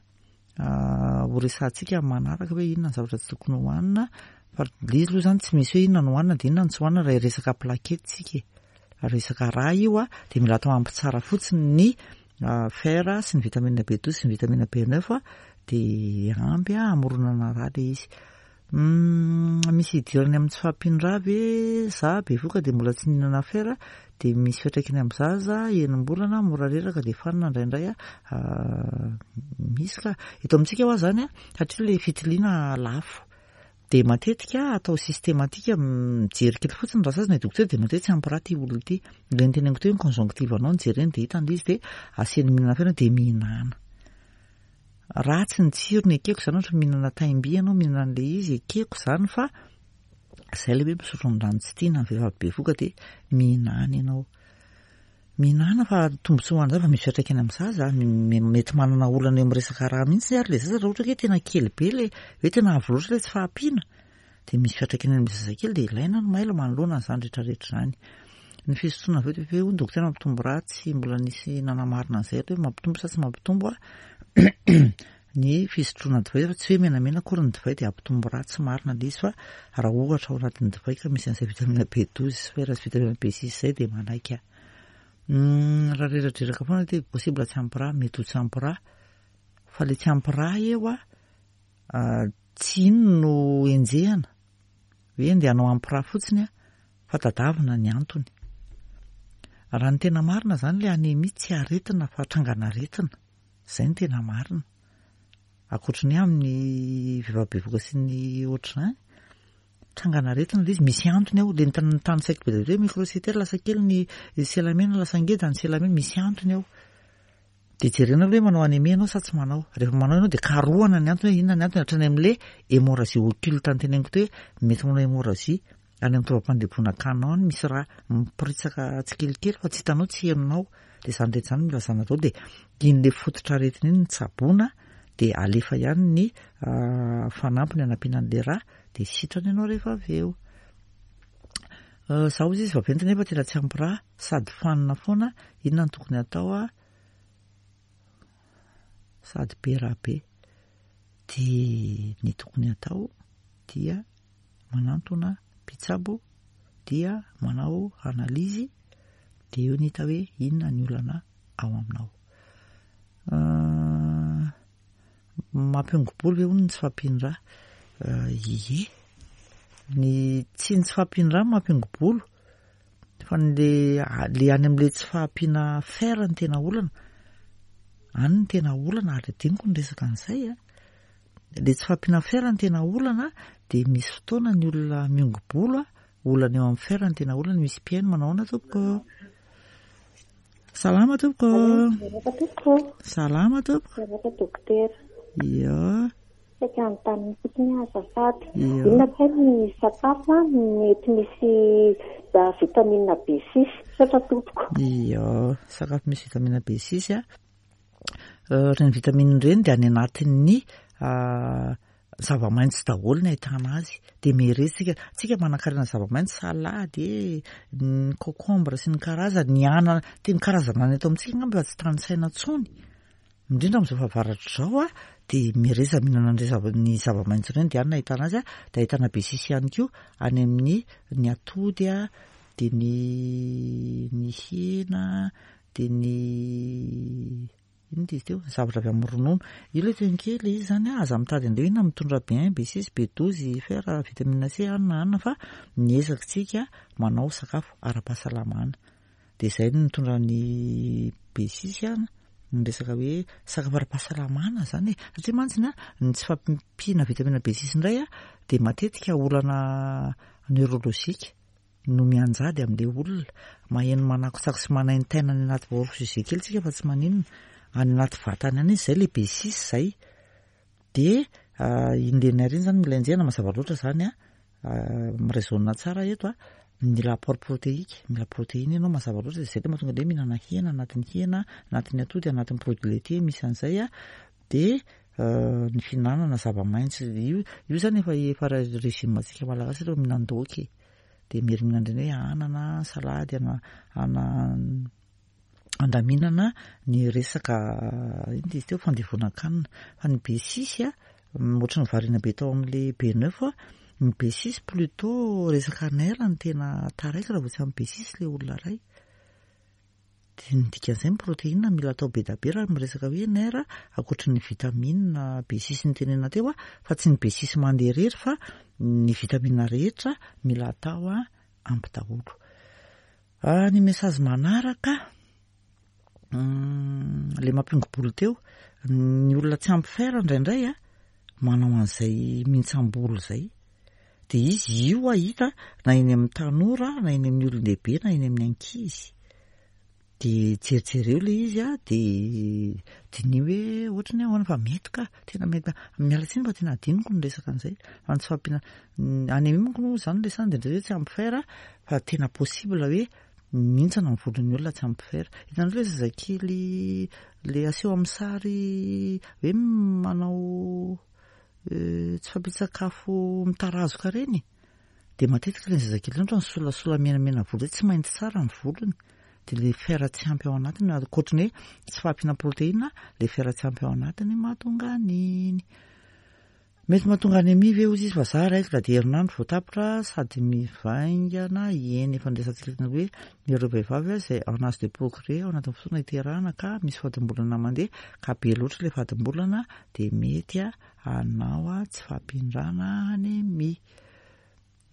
ho resahantsika amin'ny manaraka hoe inona ny zavatra tsy tokony hohanina, fa le izy aloha izany tsy misy hoe inona no hohanina dia inona no tsy hohanina raha hiresaka plaquette tsika e. Resaka rà io a, dia mila atao ampy tsara fotsiny ny fer sy ny vitamine B12 sy ny vitamine B9 dia ampy hamoronana rà le izy. Misy idirany amin'ny tsy fahampian'ny rà ve? Za bevoka dia mbola tsy nihinana fer dia misy fiantraikany amin'ny zaza, enim-bolana, mora reraka dia fanina indraindray a. Misy ka. Eto amintsika hoa zany a, satria le fitiliana lafo dia matetika atao systématique, mijery kely fotsiny raha sasany dokotera dia matetika tsy ampy rà ity olona ity. Ilay noteneniko teo hoe ny conjonctive anao no jereny dia hitany ilay izy dia asiany mihinana fer dia mihinana. Ratsy ny tsirony ekeko izany ohatra mihinana taim-by ianao mihinana an'ilay izy ekeko izany fa izay ilay hoe misotro ny rano tsy tiana ny vehivavy bevoka dia mihinana ianao. Mihinana fa tombontsoa ho an'ny zaza fa misy fiantraikany amin'ny zaza, mety manana olana eo amin'ny resaka rà mihitsy ary ilay zaza raha ohatra ka hoe tena kely be ilay hoe tena avo loatra ilay tsy fahampiana dia misy fiantraikany amin'ny zazakely dia ilaina ny mailo manoloana an'izany rehetrarehetra izany. Ny fisotroana avy eo dia hoe hoy ny dokotera mampitombo rà, tsy mbola nisy nanamarina an'izay aloha hoe mampitombo sa tsy mampitombo ny fisotroana divay fa tsy hoe menamena akory ny divay dia hampitombo rà, tsy marina ilay izy fa raha ohatra ao anatin'ny divay ka misy an'izay vitamine B12 sy fer sy vitamine B6 izay dia manaiky aho. Raha reradreraka foana dia possible tsy ampy rà, mety ho tsy ampy rà fa ilay tsy ampy rà eo tsy iny no enjehana hoe ndeha hanao ampy rà fotsiny fa tadavina ny antony. Raha ny tena marina izany ilay anémie tsy aretina fa trangan'aretina, izay no tena marina. Ankoatry ny hoe amin'ny vehivavy bevohoka sy ny ohatr'izany, trangan'aretina ilay izy, misy antony ao, ilay notanisaiko be dia be hoe microcytaire lasa kely ny selamena lasa ngeda ny selamena, misy antony ao. Dia jerena aloha hoe manao anémie ianao sa tsy manao. Rehefa manao ianao dia karohana ny antony hoe inona ny antony hatrany amin'ilay hémorragie occulte noteneniko teo hoe mety manao hémorragie any amin'ny taovam-pandemponan-kanina any misy rà miporitsaka tsikelikely fa tsy hitanao tsy henonao. Dia izany rehetra izany mila zana daholo dia iny ilay fototr'aretina iny no tsaboina dia alefa ihany ny fanampiny hanampiana an'ilay rà dia sitrana ianao rehefa avy eo. Za hozy izy vaventy nefa tena tsy ampy rà sady fanina foana, inona no tokony hatao a? Sady be rà be. Dia ny tokony hatao dia manantona mpitsabo dia manao analyse dia eo ny hita hoe inona ny olana ao aminao. Mampiongo-bolo ve hono ny tsy fahampian-drà? Ie. Ny tsy ny tsy fahampian-drà no mampiongo-bolo fa ny le le any amin'ilay tsy fahampiana fer no tena olana. Any no tena olana ary adinoko ny resaka an'izay a. Le tsy fahampiana fer no tena olana dia misy fotoana ny olona miongo-bolo a, olana eo amin'ny fer no tena olana. Misy mpihaino manao ahoana tompoko? Salama tompoko. Miarahaba tompoko. Salama tompoko. Miarahaba dokotera. Ia. Saika hanontany fotsiny aho azafady. Ia. Inona kay ny sakafo mety misy vitamine B6? Misaotra tompoko. Ia, sakafo misy vitamine B6 a. Ireny vitamine ireny dia any anatin'ny Zava-maitso daholo ny ahitana azy. Dia mihereha tsika, tsika manankarena zava-maitso, salady e, ny concombre sy ny karazany, ny anana, tena karazana anana eto amintsika angamba efa tsy tanisaina intsony. Indrindra amin'izao fahavaratra izao a, dia mihereza mihinana an'ireny zava- ny zava-maitso ireny dia any no ahitana azy a, dia ahitana besisy ihany koa any amin'ny ny atody a, dia ny ny hena, dia ny Inona izy teo? Zavatra avy amin'ny ronono. Io ilay teny kely izy izany an, aza mitady an'ireo inona mitondra B1, B6, B12, fer, vitamine C, anona anona fa miezaka tsika manao sakafo ara-pahasalamana. Dia izay no mitondra ny B6 an, ny resaka hoe sakafo ara-pahasalamana izany e. Satria mantsy ny ny tsy fahampiana vitamine B6 indray an, dia matetika olana neurologique. no mianjady amin'ilay olona, maheno manakotsako sy manaintaina any anaty hors sujet kely tsika fa tsy maninona, any anaty vatany any izy zay le B6 zay, de iny le nerf iny zany mila enjehina mazava loatra zany an, mi-raisonne tsara eto an, mila apport protéique, mila protéine ianao mazava loatra, zay le mahatonga le hoe mihinana hena, anatin'ny hena, anatin'ny atody, anatin'ny produit laitier misy an'izay an, de ny fihinanana zava-maitso, io io zany efa efa régime antsika malagasy aloha mihinan-daoka e. Dia miherina indray hoe anana, salady, ana ana Andaminana ny resaka inona izy teo fandevonan-kanina. Fa ny B6 a, ohatran'ny variana be tao amin'ilay B9 aho, ny B6 plutôt resaka nerf no tena taraiky raha vao tsy ampy B6 ilay olona iray. Dia ny dikan'izay ny protéine mila atao be dia be raha miresaka hoe nerf ankoatry ny vitamine B6 notenenina teo fa tsy ny B6 mandeha irery fa ny vitamine rehetra mila atao ampy daholo. Ny message manaraka, le mampiongo-bolo teo, ny olona tsy ampy fer indraindray a, manao an'izay mihintsam-bolo izay. Dia izy io hita na eny amin'ny tanora, na eny amin'ny olon-dehibe, na eny amin'ny ankizy. Dia jerijereo ilay izy a, dia diniho hoe ohatry ny ahoana fa mety ka, tena mety. Miala tsiny fa tena adinoko ny resaka an'izay. Fa ny tsy fahampiana, anémie manko moa izany resahana dia indraindray hoe tsy ampy fer fa tena possible hoe mihintsana ny volon'ny olona tsy ampy fer. Hitanareo ilay zazakely ilay aseho amin'ny sary hoe manao tsy fahampian-tsakafo mitarazoka ireny? Dia matetika ilay zazakely ireny ohatran'ny solasola menamena volo izay, tsy mainty tsara ny volony. Dia ilay fer tsy ampy ao anatiny, ankoatry ny hoe tsy fahampiana protéine, ilay fer tsy ampy ao anatiny mahatonga an'iny. Mety mahatonga anémie ve hozy izy fa za règle dia herinandro vao tapitra sady mivaingana eny efa niresahantsika teny hoe ireo vehivavy izay en âge de procréer ao anatin'ny fotoana hiterahana ka misy fadimbolana mandeha ka be loatra ilay fadimbolana dia mety hanao tsy fahampian-drà na anémie.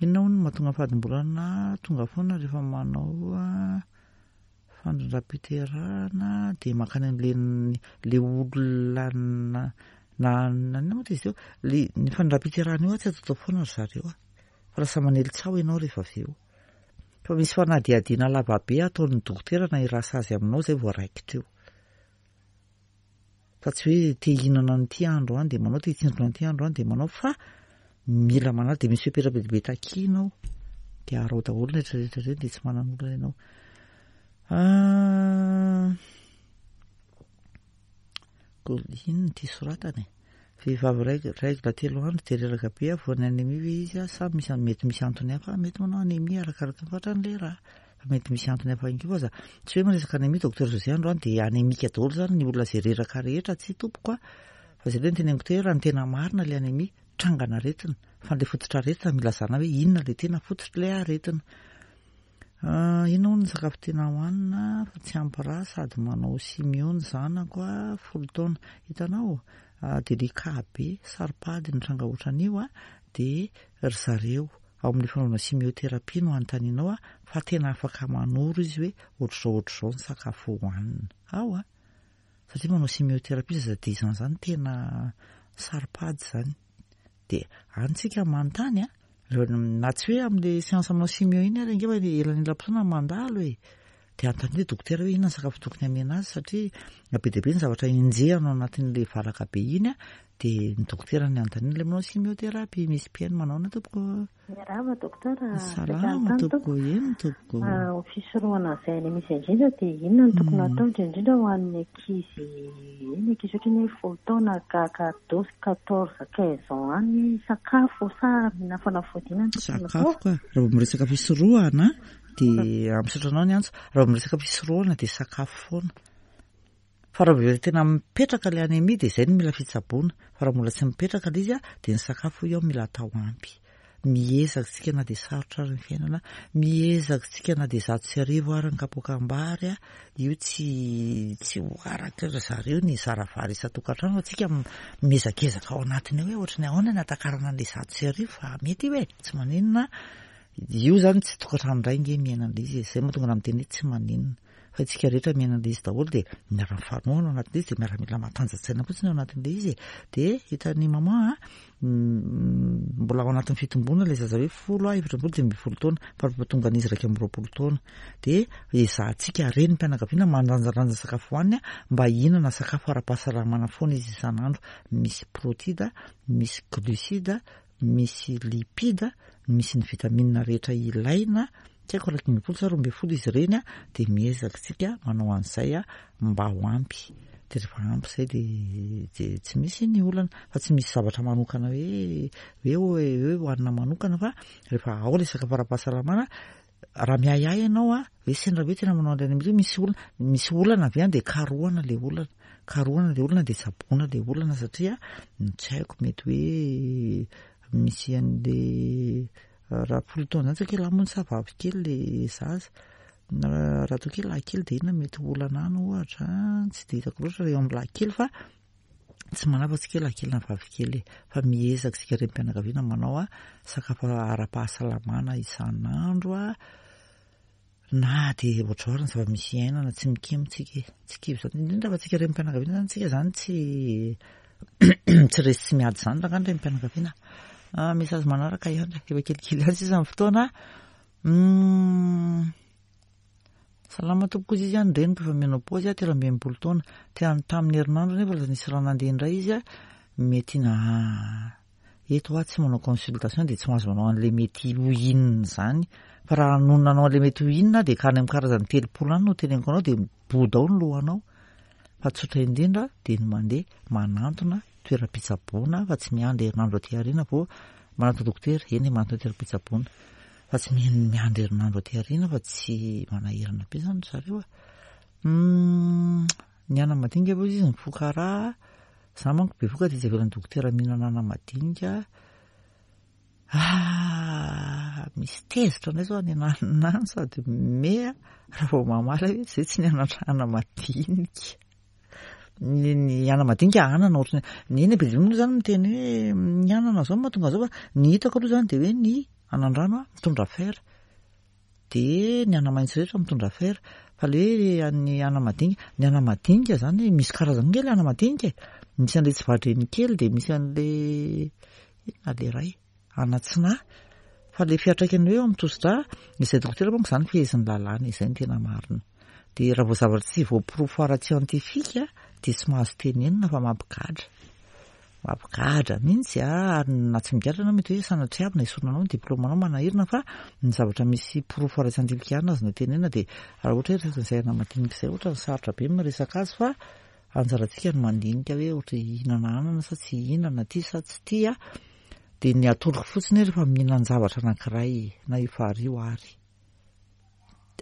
Inona hono no mahatonga fadimbolana tonga foana rehefa manao fandrindram-piterahana dia mankany amin'ilay ilay olona na na inona moa izy teo? Ilay ny fandrindram-piterahana io tsy ataotao foana ry zareo a! Fa lasa manely tsaho ianao rehefa avy eo. Fa misy fanadihadiana lavabe ataon'ny dokotera na i rasazy aminao izay vao raikitra eo. Fa tsy hoe te hihinana an'ity andro any dia manao, te hitsindrona an'ity andro any dia manao fa mila manala dia misy fepetra be dia be takiana ao. Dia araho daholo ny rehetra rehetra ireny dia tsy manan'olana ianao. Ah, inona ity soratana e? Vehivavy règle, règle telo andro dia reraka be aho voan'ny anémie ve izy sa misy mety misy antony hafa mety manao anémie arakaraka ny fatran'ilay rà. Fa mety misy antony hafa ihany koa aza. Tsy hoe miresaka anémie Docteur José androany dia anémique daholo izany ny olona izay reraka rehetra, tsia tompoko a! Fa izay aloha no teneniko teo hoe raha ny tena marina ilay anémie, trangan'aretina, fa ilay fototr'aretina mila zahana hoe inona ilay tena fototr'ilay aretina. Ah, inona hono ny sakafo tena hohanina fa tsy ampy rà sady manao chimio ny zanako a, folo taona. Hitanao? Ah, délicat be, saro-pady ny tranga ohatran'io a, dia ry zareo Ao amin'ny fanaovana chimiothérapie no anontanianao aho fa tena afaka manoro izy hoe ohatr'izao ohatr'izao ny sakafo hohanina. Ao a! Satria manao chimiothérapie zaza dix ans zany tena saro-pady zany. Dia any tsika manontany a! Na tsy hoe amin'ilay séance manao chimio iny ary ange fa elanelam-potoana mandalo e! Dia anontaniana hoe dokotera hoe inona ny sakafo tokony hamena azy satria be dia be ny zavatra enjehina ao anatin'ilay valaka be iny dia ny dokotera ny anontaniana ilay manao chimiothérapie. Misy mpihaino manaona tompoko? Miarahaba dokotera. Salama tompoko, eny tompoko. Ho fisorohana izay any misy indrindra dia inona no tokony hatao indrindra indrindra ho an'ny ankizy, eny ankizy ohatran'ny hoe folo taona ka ka 12, 14, 15 ans any sakafo sa mihinana fanafody inona no tokony hatao? Sakafo ka, raha vao miresaka fisorohana Dia misaotra anao ny antso. Raha vao miresaka fisorohana dia sakafo foana. Fa raha vao tena mipetraka ilay anémie dia izay no mila fitsaboana. Fa raha mbola tsy mipetraka ilay izy dia ny sakafo hoy aho mila atao ampy. Miezaka isika na dia sarotra ary ny fiainana, miezaka isika na dia 1100 ary ny kapoakam-bary, io tsy tsy ho araka ry zareo ny zara vary isan-tokantrano fa tsika miezakezaka ao anatiny ao hoe ohatry ny ahoana ny hatakarana an'ilay 1100 fa mety io e, tsy maninona. Io zany tsy tokantrano iray nge miaina an'ilay izy e, zay mahatonga anah miteny hoe tsy maninona fa isika rehetra miaina an'ilay izy daholo dia miara-mifanohana ao anatin'ilay izy dia miara-mila matanja-tsaina fotsiny ao anatin'ilay izy e, dia hitan'i maman a, mbola ao anatin'ny fitomboana ilay zaza hoe folo a, 14, 15 taona fa rehefa tonga an'izy 21 taona dia ezahantsika renim-pianakaviana mandanjalanja sakafo hohaniny mba hihinana sakafo ara-pahasalamana foana izy isan'andro, misy protida, misy glucide, misy lipida, misy ny vitamine rehetra ilaina, tsy haiko 11 sa 12 izy ireny dia miezaka isika manao an'izay mba ho ampy, dia rehefa ampy izay dia dia tsy misy ny olana, fa tsy misy zavatra manokana hoe hoe hoe hohanina manokana fa rehefa ao ilay sakafo ara-pahasalamana. Raha miahiahy ianao a, hoe sendra hoe tena manao an'ilay anémie, misy olana, misy olana avy any dia karohana ilay olana. Karohana ilay olana dia tsaboina ilay olana satria tsy haiko mety hoe misy an'ilay raha folo taona izany tsy haiko hoe lahy moa sa vavy kely ilay zaza. Raha toa kely lahy kely dia inona mety ho olana any ohatra, tsy dia hitako loatra raha eo amin'ny lahy kely fa tsy manahy fa tsy kely lahy kely na vavy kely e, fa miezaka isika renim-pianakaviana manao sakafo ara-pahasalamana isan'andro a, na dia ohatr'izao ary ny zava-misy iainana tsy mikemo tsika e, tsy kivy izany, indrindra fa tsika renim-pianakaviana izany tsika izany tsy tsy resy tsy miady izany rangahy ny renim-pianakaviana. Message manaraka ihany, efa kelikely ihany sisa ny fotoana. Salama tompoko izy izy ny reniko efa ménopause 63 taona. Te tamin'ny herinandro nefa lasa nisy rà nandeha indray izy mety na eto aho tsy manao consultation dia tsy mahazo manao an'ilay mety ho inona izany. Fa raha nony nanao an'ilay mety ho inona dia ka any amin'ny karazany 30 any no teneniko anao dia mibodo ao ny lohanao. Fa tsotra indrindra dia ny mandeha manantona toeram-pitsaboana fa tsy miandry herinandro aty aoriana vao manantona dokotera, eny e manantona toeram-pitsaboana. Fa tsy miandry herinandro aty aoriana fa tsy manahirana be izany ry zareo a. Ny anamadinika aloha izy mifoka rà, za manko bevoka dia tsy avelan'ny dokotera mihinana anamadinika. Ah, misy tezitra indray zao any ananona any sady mihomehy raha vao mamaly hoe zay tsy nianatra anamadinika. Ny ny anamadinika anana ohatran'ny ny eny be dia be moa zany miteny hoe ny anana zao no mahatonga an'izao fa ny hitako aloha zany dia hoe ny anandrano mitondra fer, dia ny anamaitso rehetra mitondra fer, fa le hoe ny anamadinika, ny anamadinika zany misy karazany ange le anamadinika e, misy an'le tsy vadreny kely dia misy an'le inona le iray. Anatsinahy, fa le fiantraikany hoe eo amin'ny tosi-drà, izay dokotera manko izany fehezin'ny lalàna, izay no tena marina. Dia raha vao zavatra tsy voaporofo ara-tsiantifika dia tsy mahazo tenenina fa mampigadra. Mampigadra mihitsy a, ary na tsy migadra ianao mety hoe sanatriavina esorina anao ny diplaomanao manahirana fa ny zavatra misy porofo ara-tsiantifika ihany no azonao tenenina dia raha ohatra hoe resaka izay anamadinika izay ohatra ny sarotra be ny miresaka azy fa anjarantsika no mandinika hoe ohatra hihinana anana sa tsy hihinana, tia sa tsy tia. Dia ny atoroko fotsiny hoe rehefa mihinan-javatra anankiray na io fary io ary,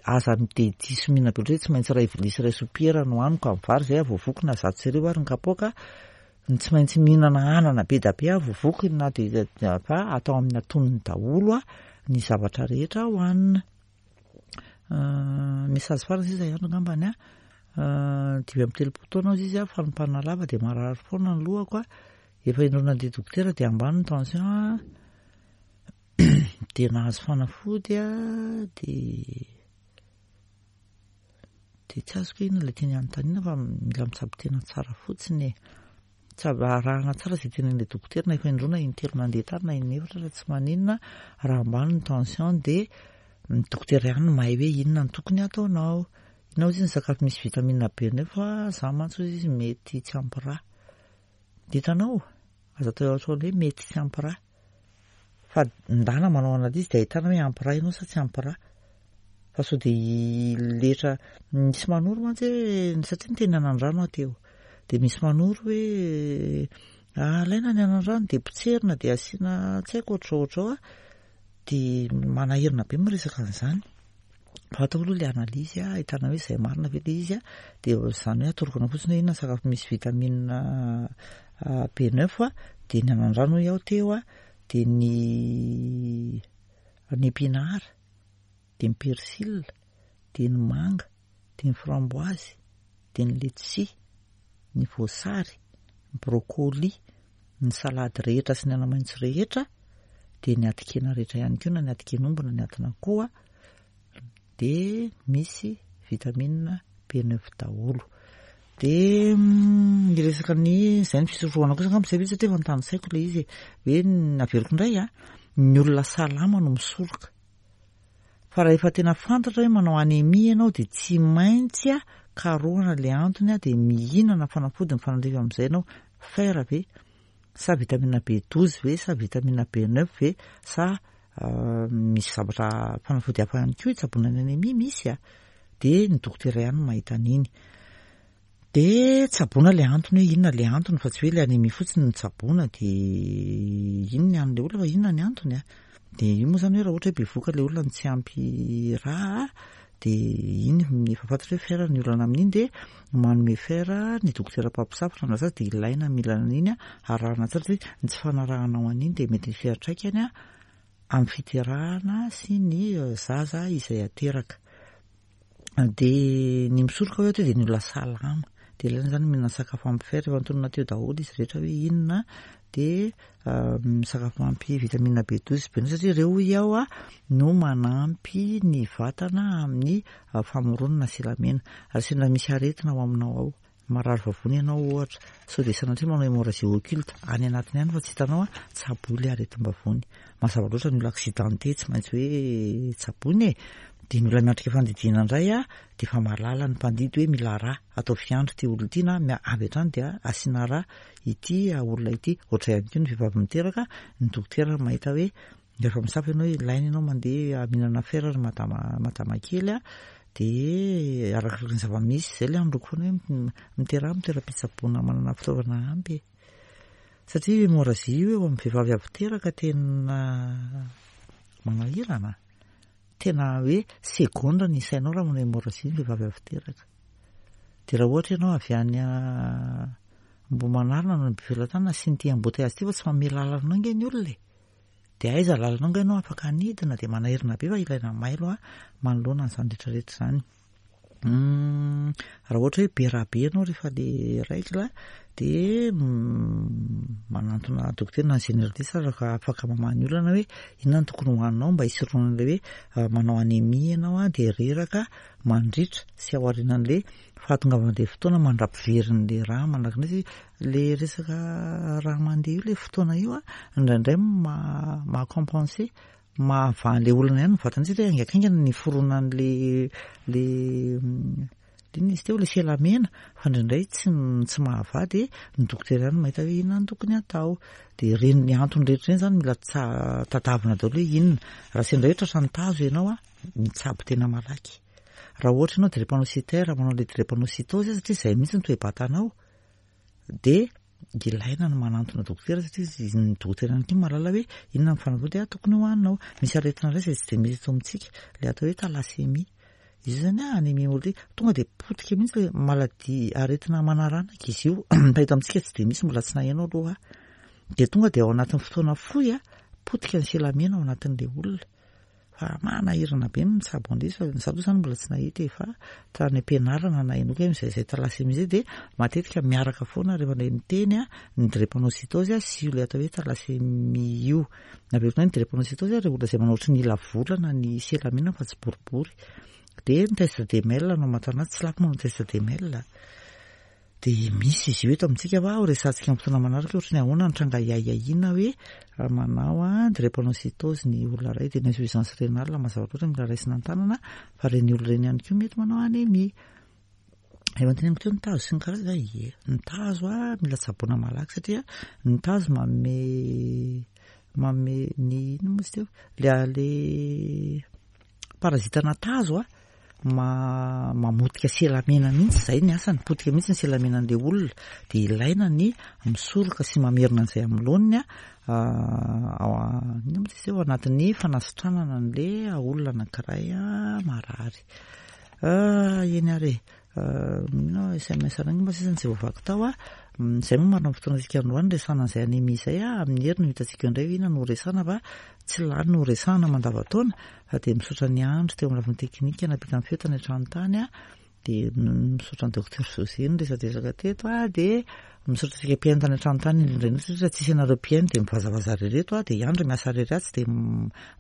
aza dia diso mihinana be loatra hoe tsy maintsy iray vilia sy iray sopiera no haniko amin'ny vary izay aho vao voky na 101 ary ny kapoaka, ny tsy maintsy mihinana anana be dia be aho vao voky na dia fa atao amin'ny antonony daholo ny zavatra rehetra hohanina. Message farany sisa ihany angambany an, 35 taona hozy izy an, fanompana lava dia marary foana ny lohako an, Efa indroa nandeha dokotera dia ambany ny tension a, dia nahazo fanafody a, dia dia tsy azoko hoe inona ilay tiany hanontaniana fa mila mitsabo tena tsara fotsiny e. Tsabo arahana tsara izay tenenin'ilay dokotera na efa indroa na intelo nandeha tany na inefatra ary tsy maninona raha ambany ny tension dia ny dokotera ihany no mahay hoe inona no tokony hataonao. Inona hozy ny sakafo misy vitamine B nefa za mantsy hozy izy mety tsy ampy rà. Hitanao? Aza atao ohatran'ny hoe mety tsy ampy rà. Fa ndana manao analyse dia ahitana hoe ampy rà ianao sa tsy ampy rà. Fa sao dia letra misy manoro mantsy hoe satria niteny anandrano aho teo. Dia misy manoro hoe alaina ny anandrano dia potserina dia asiana tsy haiko ohatr'izao ohatr'izao a. Dia manahirana be miresaka an'izany. Fa atao aloha ilay analyse ahitana hoe izay marina ve ilay izy dia izany hoe atoroko anao fotsiny hoe inona ny sakafo misy vitamine B9 dia ny anandrano hoy aho teo dia ny ny épinard dia ny persil dia ny manga dia ny framboise dia ny letchis ny voasary ny brocoli ny salady rehetra sy ny anamaitso rehetra dia ny atin-kena rehetra ihany koa na ny atin-ken'omby na ny atin'akoho dia misy vitamine B9 daholo. Dia mm, hiresaka ny izay ny fisorohana kosa angamba izay ve satria efa notanisaiko ilay izy e. Hoe averiko indray a, ny olona salama no misoroka. Fa raha efa tena fantatra hoe manao anémie ianao dia tsy maintsy karohana ilay antony dia mihinana fanafody mifanandrify amin'izay ianao, fer ve sa vitamine B12 ve sa vitamine B9 ve sa misy zavatra fanafody hafa ihany koa hitsaboana ny anémie misy a, dia ny dokotera ihany no mahita an'iny. Dia tsaboina ilay antony hoe inona ilay antony fa tsy hoe ilay anémie fotsiny no tsaboina dia iny ny an'ilay olona fa inona ny antony a. Dia io moa izany hoe raha ohatra hoe bevohoka ilay olona no tsy ampy rà dia iny efa fantatra hoe fer ny olana amin'iny dia manome fer ny dokotera mpampisafo raha zaza dia ilaina mila an'iny arahana tsara satria ny tsy fanarahanao an'iny dia mety hisy fiantraikany amin'ny fiterahana sy ny zaza izay ateraka. Dia ny misoroka hoe dia ny olona salama. Dia ilaina izany mihinana sakafo ampy fer, efa notononina teo daholo izy rehetra hoe inona, dia misakafo ampy vitamine B12 sy B9 satria ireo hoy aho no manampy ny vatana amin'ny famoronana silamena. Ary sendra misy aretina ao aminao ao, Marary vavony ianao ohatra, sao dia sanatria manao hémorragie occulte any anatiny any fa tsy hitanao an, tsaboy ilay aretim-bavony. Mazava loatra ny olona accidenté tsy maintsy hoe tsaboina e! Dia ny olona miatrika fandidiana indray an, dia efa mahalala ny mpandidy hoe mila rà, atao fiandry ity olona ity na avy hatrany dia asiana rà ity olona ity. Ohatr'izay ihany koa ny vehivavy miteraka, ny dokotera mahita hoe Rehefa misafo ianao ilaina ianao mandeha mihinana fer ry madama madama kely a, dia arakaraka ny zava-misy izay ilay androko foana hoe miteraha amin'ny toeram-pitsaboana manana fitaovana ampy e. Satria hémorragie io eo amin'ny vehivavy avy teraka tena manahirana. Tena hoe segondra ny isainao raha manao hémorragie ny vehivavy avy teraka. Dia raha ohatra ianao avy any Ambohimanarina na Befelatanana sy ny ity embouteillage ity fa tsy manome lalana anao ange ny olona e. Dia aiza lalana angaha ianao afaka hanidina dia manahirana be fa ilaina mailo a manoloana an'izany rehetra rehetra izany. Hum, raha ohatra hoe be rà be ianao rehefa le règle dia manantona dokotera na ny généraliste ary afaka afaka mamaha ny olana hoe inona no tokony hohaninao mba hisorohana ilay hoe manao anémie ianao a dia reraka mandritra sy ao aorianan'ilay fahatongavan'ilay fotoana mandra-piverin'ilay rà manaraka an'ilay izy Le resaka raha mandeha io le fotoana io a, indraindray maha compenser, mahavaha an'le olana ihany ny vatana satria haingankaingana ny fironan'le le inona izy teo le selamena fa indraindray tsy tsy mahavaha dia ny dokotera ihany no mahita hoe inona no tokony hatao. Dia ireny ny antony rehetra ireny izany mila tsa- tadiavina daholo hoe inona. Raha sendra hoe tratran'ny tazo ianao a, mitsabo tena malaky. Raha ohatra ianao drépanocytaire manao le drépanocytose satria izay mihitsy ny toe-batanao, dia ilaina ny manantona dokotera satria ny dokotera ihany koa mahalala hoe inona ny fanafody tokony hohaninao. Misy aretina iray izay tsy dia misy eto amintsika, ilay atao hoe thalassemia. Izy io izany anémie hémolytique, tonga dia potika mihitsy ilay maladie, aretina manaranaka izy io, fa eto amintsika tsy dia misy, mbola tsy naheno aloha aho. Dia tonga dia ao anatin'ny fotoana fohy, potika ny selamena ao anatin'ilay olona. Fa manahirana be ny mitsabo an'ilay izy fa za aloha zany mbola tsy nahita e fa tany am-pianarana nahenoako hoe izay izay thalassemie izay dia matetika miaraka foana rehefa ilay miteny ny drépanocytose sy io ilay atao hoe thalassemie io. Averiko indray ny drépanocytose ireo olona izay manao ohatry ny ila volana ny selamina fa tsy boribory. Dia ny test de Mel no amantarana azy, tsy lafo moa ny test de Mel. Dia misy izy io eto amintsika fa ho resahantsika amin'ny fotoana manaraka hoe ohatry ny ahoana ny tranga hiahiahiana hoe raha manao drépanocytose ny olona iray dia ny insuffisance rénale mazava loatra mila raisina an-tanana fa ireny olona ireny ihany koa mety manao anémie. Efa noteneniko teo ny tazo sy ny karazany va? Ie, ny tazo mila tsaboina malaky satria ny tazo manome manome ny inona moa izy teo? Le le Parasite-na tazo a, mamotika selamena mihitsy, izay ny asany, potika mihitsy ny selamenan'ilay olona, dia ilaina ny misoroka sy mamerina an'izay amin'ny laoniny ao inona moa izy teo, ao anatin'ny fanasitranana an'ilay olona anankiray marary. Eny ary e. Mino sms anao angamba sisa no tsy voavaky tao a. Izay moa marina amin'ny fotoana antsika androany resahana an'izay anémie izay a. Amin'ny hery no hitantsika eo indray hoe inona no horesahana fa tsy lany no horesahana mandavantaona fa dia misaotra ny andro teo amin'ny lafiny teknika nampita ny feo tany an-trano tany a. Dia misaotra ny docteur José niresadresaka teto a. Dia misaotra antsika mpihaino tany an-trano tany indrindra indrindra satria raha tsisy anareo mpihaino dia mivazavaza irery eto a. Dia i Andry miasa irery atsy dia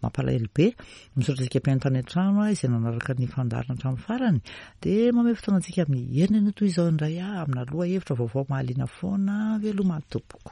mampalahelo be. Misaotra antsika mpihaino tany an-trano izay nanaraka ny fandaharana hatramin'ny farany. Dia mamehy fotoana antsika amin'ny heriny anio toy izao indray aho amina lohahevitra vaovao mahaliana foana. Veloma tompoko.